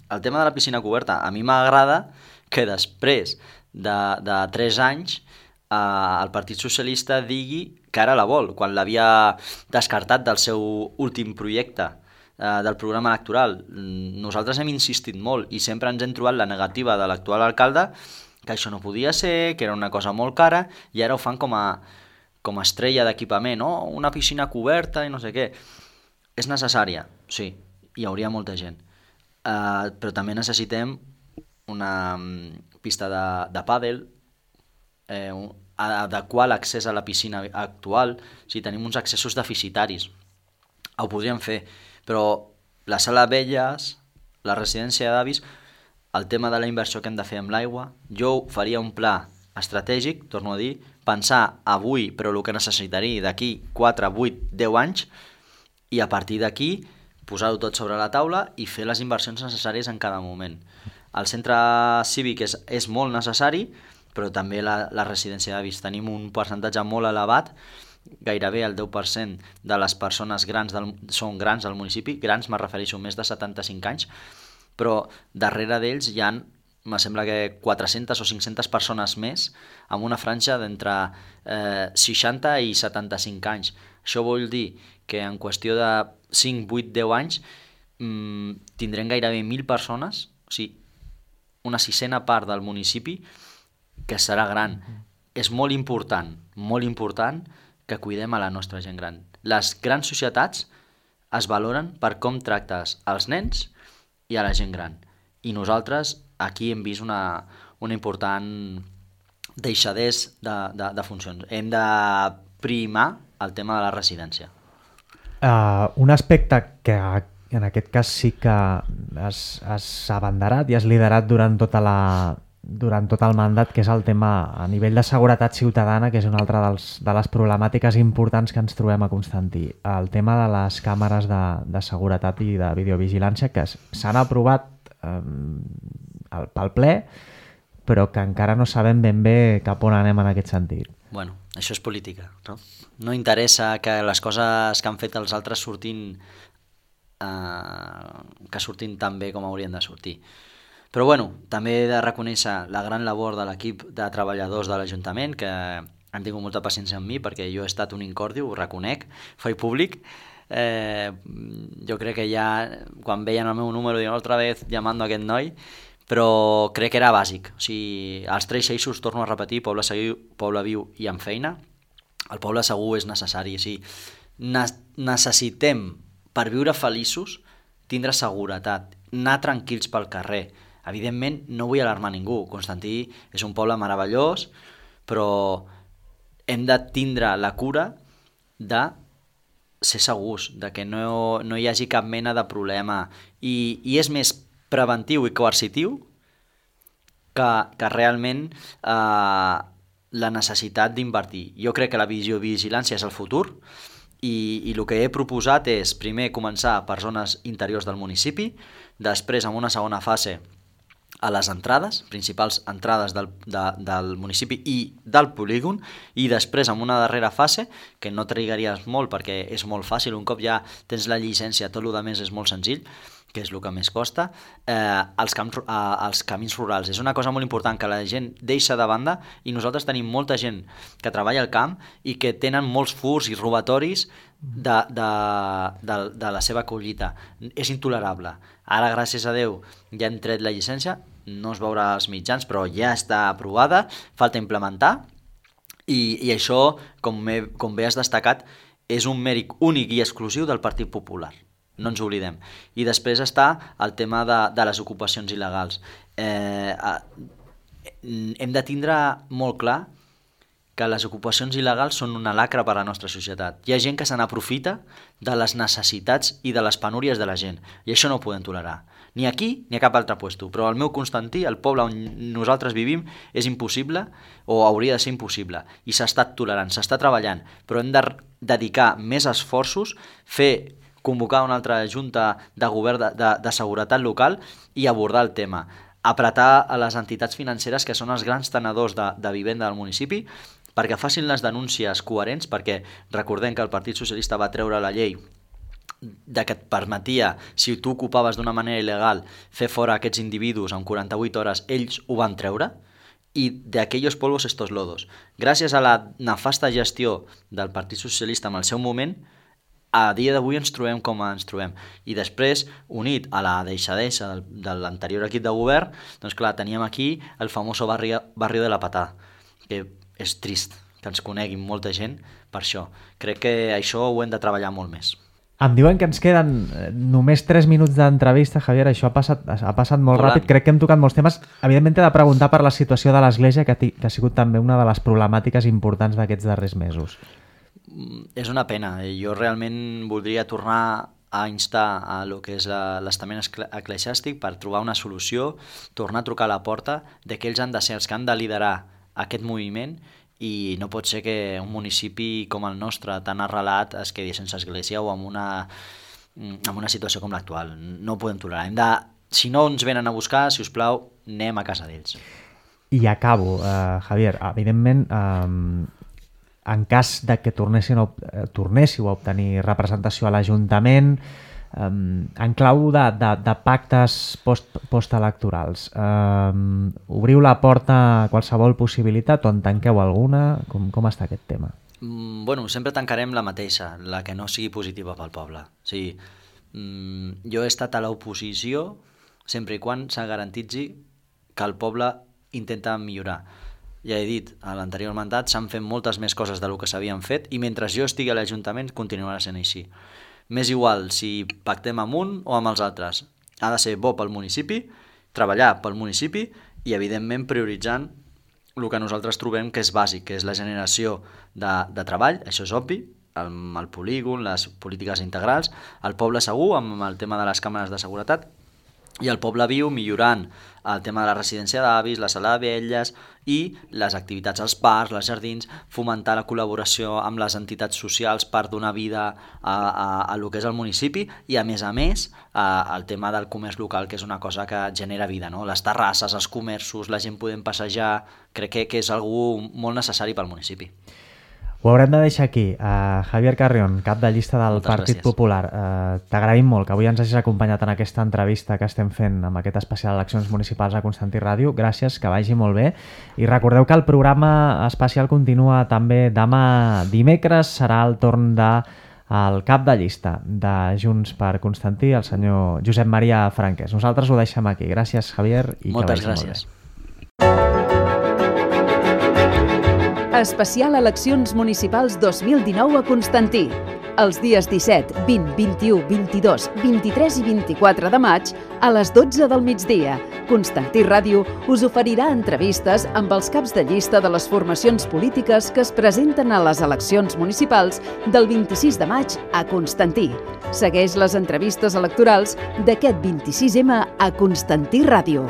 el tema de la piscina coberta. A mi m'agrada que després de 3 anys el Partit Socialista digui que ara la vol, quan l'havia descartat del seu últim projecte del programa electoral. Nosaltres hem insistit molt i sempre ens hem trobat la negativa de l'actual alcalde, que això no podia ser, que era una cosa molt cara, i ara ho fan com a estrella d'equipament, una piscina coberta i no sé què. És necessària, sí, hi hauria molta gent, però també necessitem una pista de pàdel, adequar l'accés a la piscina actual. Si tenim uns accessos deficitaris, ho podríem fer, però la sala de vetlles, la residència d'avis, el tema de la inversió que hem de fer amb l'aigua, jo faria un pla estratègic, torno a dir, pensar avui, però el que necessitaria d'aquí 4, 8, 10 anys, i a partir d'aquí posar-ho tot sobre la taula i fer les inversions necessàries en cada moment. El centre cívic és molt necessari, però també la residència d'avis. Tenim un percentatge molt elevat, gairebé el 10% de les persones grans són grans al municipi, grans me refereixo més de 75 anys, però darrere d'ells hi ha, me sembla que 400 o 500 persones més amb una franja d'entre 60 i 75 anys. Això vol dir que en qüestió de 5, 8, 10 anys tindrem gairebé 1.000 persones, o sigui, una sisena part del municipi que serà gran. És molt important que cuidem a la nostra gent gran. Les grans societats es valoren per com tractes als nens i a la gent gran. I nosaltres aquí hem vist una important deixadesa de funcions. Hem de primar el tema de la residència. Un aspecte que en aquest cas sí que has abanderat i has liderat durant tot el mandat, que és el tema a nivell de seguretat ciutadana, que és una altra de les problemàtiques importants que ens trobem a Constantí. El tema de les càmeres de seguretat i de videovigilància, que s'han aprovat pel ple, però que encara no sabem ben bé cap on anem en aquest sentit. Bueno, això és política, no? No interessa que les coses que han fet els altres surtin tan bé com haurien de sortir. Però bueno, també he de reconèixer la gran labor de l'equip de treballadors de l'Ajuntament, que han tingut molta paciència amb mi, perquè jo he estat un incòrdio, ho reconec, faig públic. Jo crec que ja, quan veien el meu número, diuen altra vez llamando a aquest noi, però crec que era bàsic. O sigui, els 3 eixos, torno a repetir, poble segur, poble viu i amb feina. El poble segur és necessari. O sigui, necessitem, per viure feliços, tindre seguretat, anar tranquils pel carrer. Evidentment, no vull alarmar ningú. Constantí és un poble meravellós, però hem de tindre la cura de ser segurs, de que no hi hagi cap mena de problema. I és més preventiu i coercitiu que realment la necessitat d'invertir. Jo crec que la vigilància és el futur i el que he proposat és primer començar per zones interiors del municipi, després en una segona fase a les entrades, principals entrades del municipi i del polígon, i després en una darrera fase, que no trigaries molt perquè és molt fàcil, un cop ja tens la llicència, tot el que més és molt senzill, que és el que més costa, els camins rurals. És una cosa molt important que la gent deixa de banda, i nosaltres tenim molta gent que treballa al camp i que tenen molts furs i robatoris de la seva collita. És intolerable. Ara, gràcies a Déu, ja hem tret la llicència, no es veurà als mitjans, però ja està aprovada, falta implementar, i això, com bé has destacat, és un mèrit únic i exclusiu del Partit Popular. No ens oblidem. I després està el tema de les ocupacions il·legals. Hem de tindre molt clar que les ocupacions il·legals són una lacra per a la nostra societat. Hi ha gent que se n'aprofita de les necessitats i de les penúries de la gent, i això no ho podem tolerar. Ni aquí ni a cap altre puesto, però al meu Constantí, el poble on nosaltres vivim, és impossible, o hauria de ser impossible, i s'ha estat tolerant, s'està treballant, però hem de dedicar més esforços, convocar una altra junta de govern de seguretat local i abordar el tema. Apretar a les entitats financeres, que són els grans tenedors de vivenda del municipi, perquè facin les denúncies coherents, perquè recordem que el Partit Socialista va treure la llei que et permetia, si tu ocupaves d'una manera il·legal, fer fora aquests individus en 48 hores, ells ho van treure, i de aquellos polvos estos lodos. Gràcies a la nefasta gestió del Partit Socialista en el seu moment, a dia d'avui ens trobem com ens trobem. I després, unit a la deixadesa de l'anterior equip de govern, doncs clar, teníem aquí el famós barri de la Patà, que és trist que ens coneguin molta gent per això. Crec que això ho hem de treballar molt més. Em diuen que ens queden només 3 minuts d'entrevista, Javier, això ha passat molt ràpid, crec que hem tocat molts temes. Evidentment t'he de preguntar per la situació de l'Església, que ha sigut també una de les problemàtiques importants d'aquests darrers mesos. És una pena. Jo realment voldria tornar a instar a lo que és l'estament eclesiàstic per trobar una solució, tornar a trucar a la porta de que ells han de ser els que han de liderar aquest moviment, i no pot ser que un municipi com el nostre, tan arrelat, es quedi sense església o en una situació com l'actual. No ho podem tolerar. Si no ens venen a buscar, si us plau, anem a casa d'ells. I acabo, Javier. Evidentment, en cas de que tornéssiu a obtenir representació a l'Ajuntament, en clau de pactes postelectorals, obriu la porta a qualsevol possibilitat o en tanqueu alguna? Com està aquest tema? Sempre tancarem la mateixa, la que no sigui positiva pel poble. O sigui, jo he estat a l'oposició sempre i quan se garantitzi que el poble intenta millorar. Ja he dit, a l'anterior mandat s'han fet moltes més coses del que s'havien fet, i mentre jo estigui a l'Ajuntament continuarà sent així. M'és igual si pactem amb un o amb els altres. Ha de ser bo pel municipi, treballar pel municipi i, evidentment, prioritzant el que nosaltres trobem que és bàsic, que és la generació de treball, això és obvi, amb el polígon, les polítiques integrals, el poble segur, amb el tema de les càmeres de seguretat, i el poble viu millorant el tema de la residència d'avis, la sala de velles i les activitats als parcs, als jardins, fomentar la col·laboració amb les entitats socials per donar vida a lo que és el municipi, i a més el tema del comerç local, que és una cosa que genera vida, no? Les terrasses, els comerços, la gent podent passejar, crec que és algú molt necessari pel municipi. Ho haurem de deixar aquí. Javier Carrión, cap de llista del Partit Popular. T'agraïm molt que avui ens hagis acompanyat en aquesta entrevista que estem fent amb aquest especial Eleccions Municipals a Constantí Ràdio. Gràcies, que vagi molt bé. I recordeu que el programa especial continua també demà dimecres. Serà el torn del cap de llista de Junts per Constantí, el senyor Josep Maria Franquès. Nosaltres ho deixem aquí. Gràcies, Javier. I moltes gràcies. Especial Eleccions Municipals 2019 a Constantí. Els dies 17, 20, 21, 22, 23 i 24 de maig a les 12 del migdia. Constantí Ràdio us oferirà entrevistes amb els caps de llista de les formacions polítiques que es presenten a les eleccions municipals del 26 de maig a Constantí. Segueix les entrevistes electorals d'aquest 26M a Constantí Ràdio.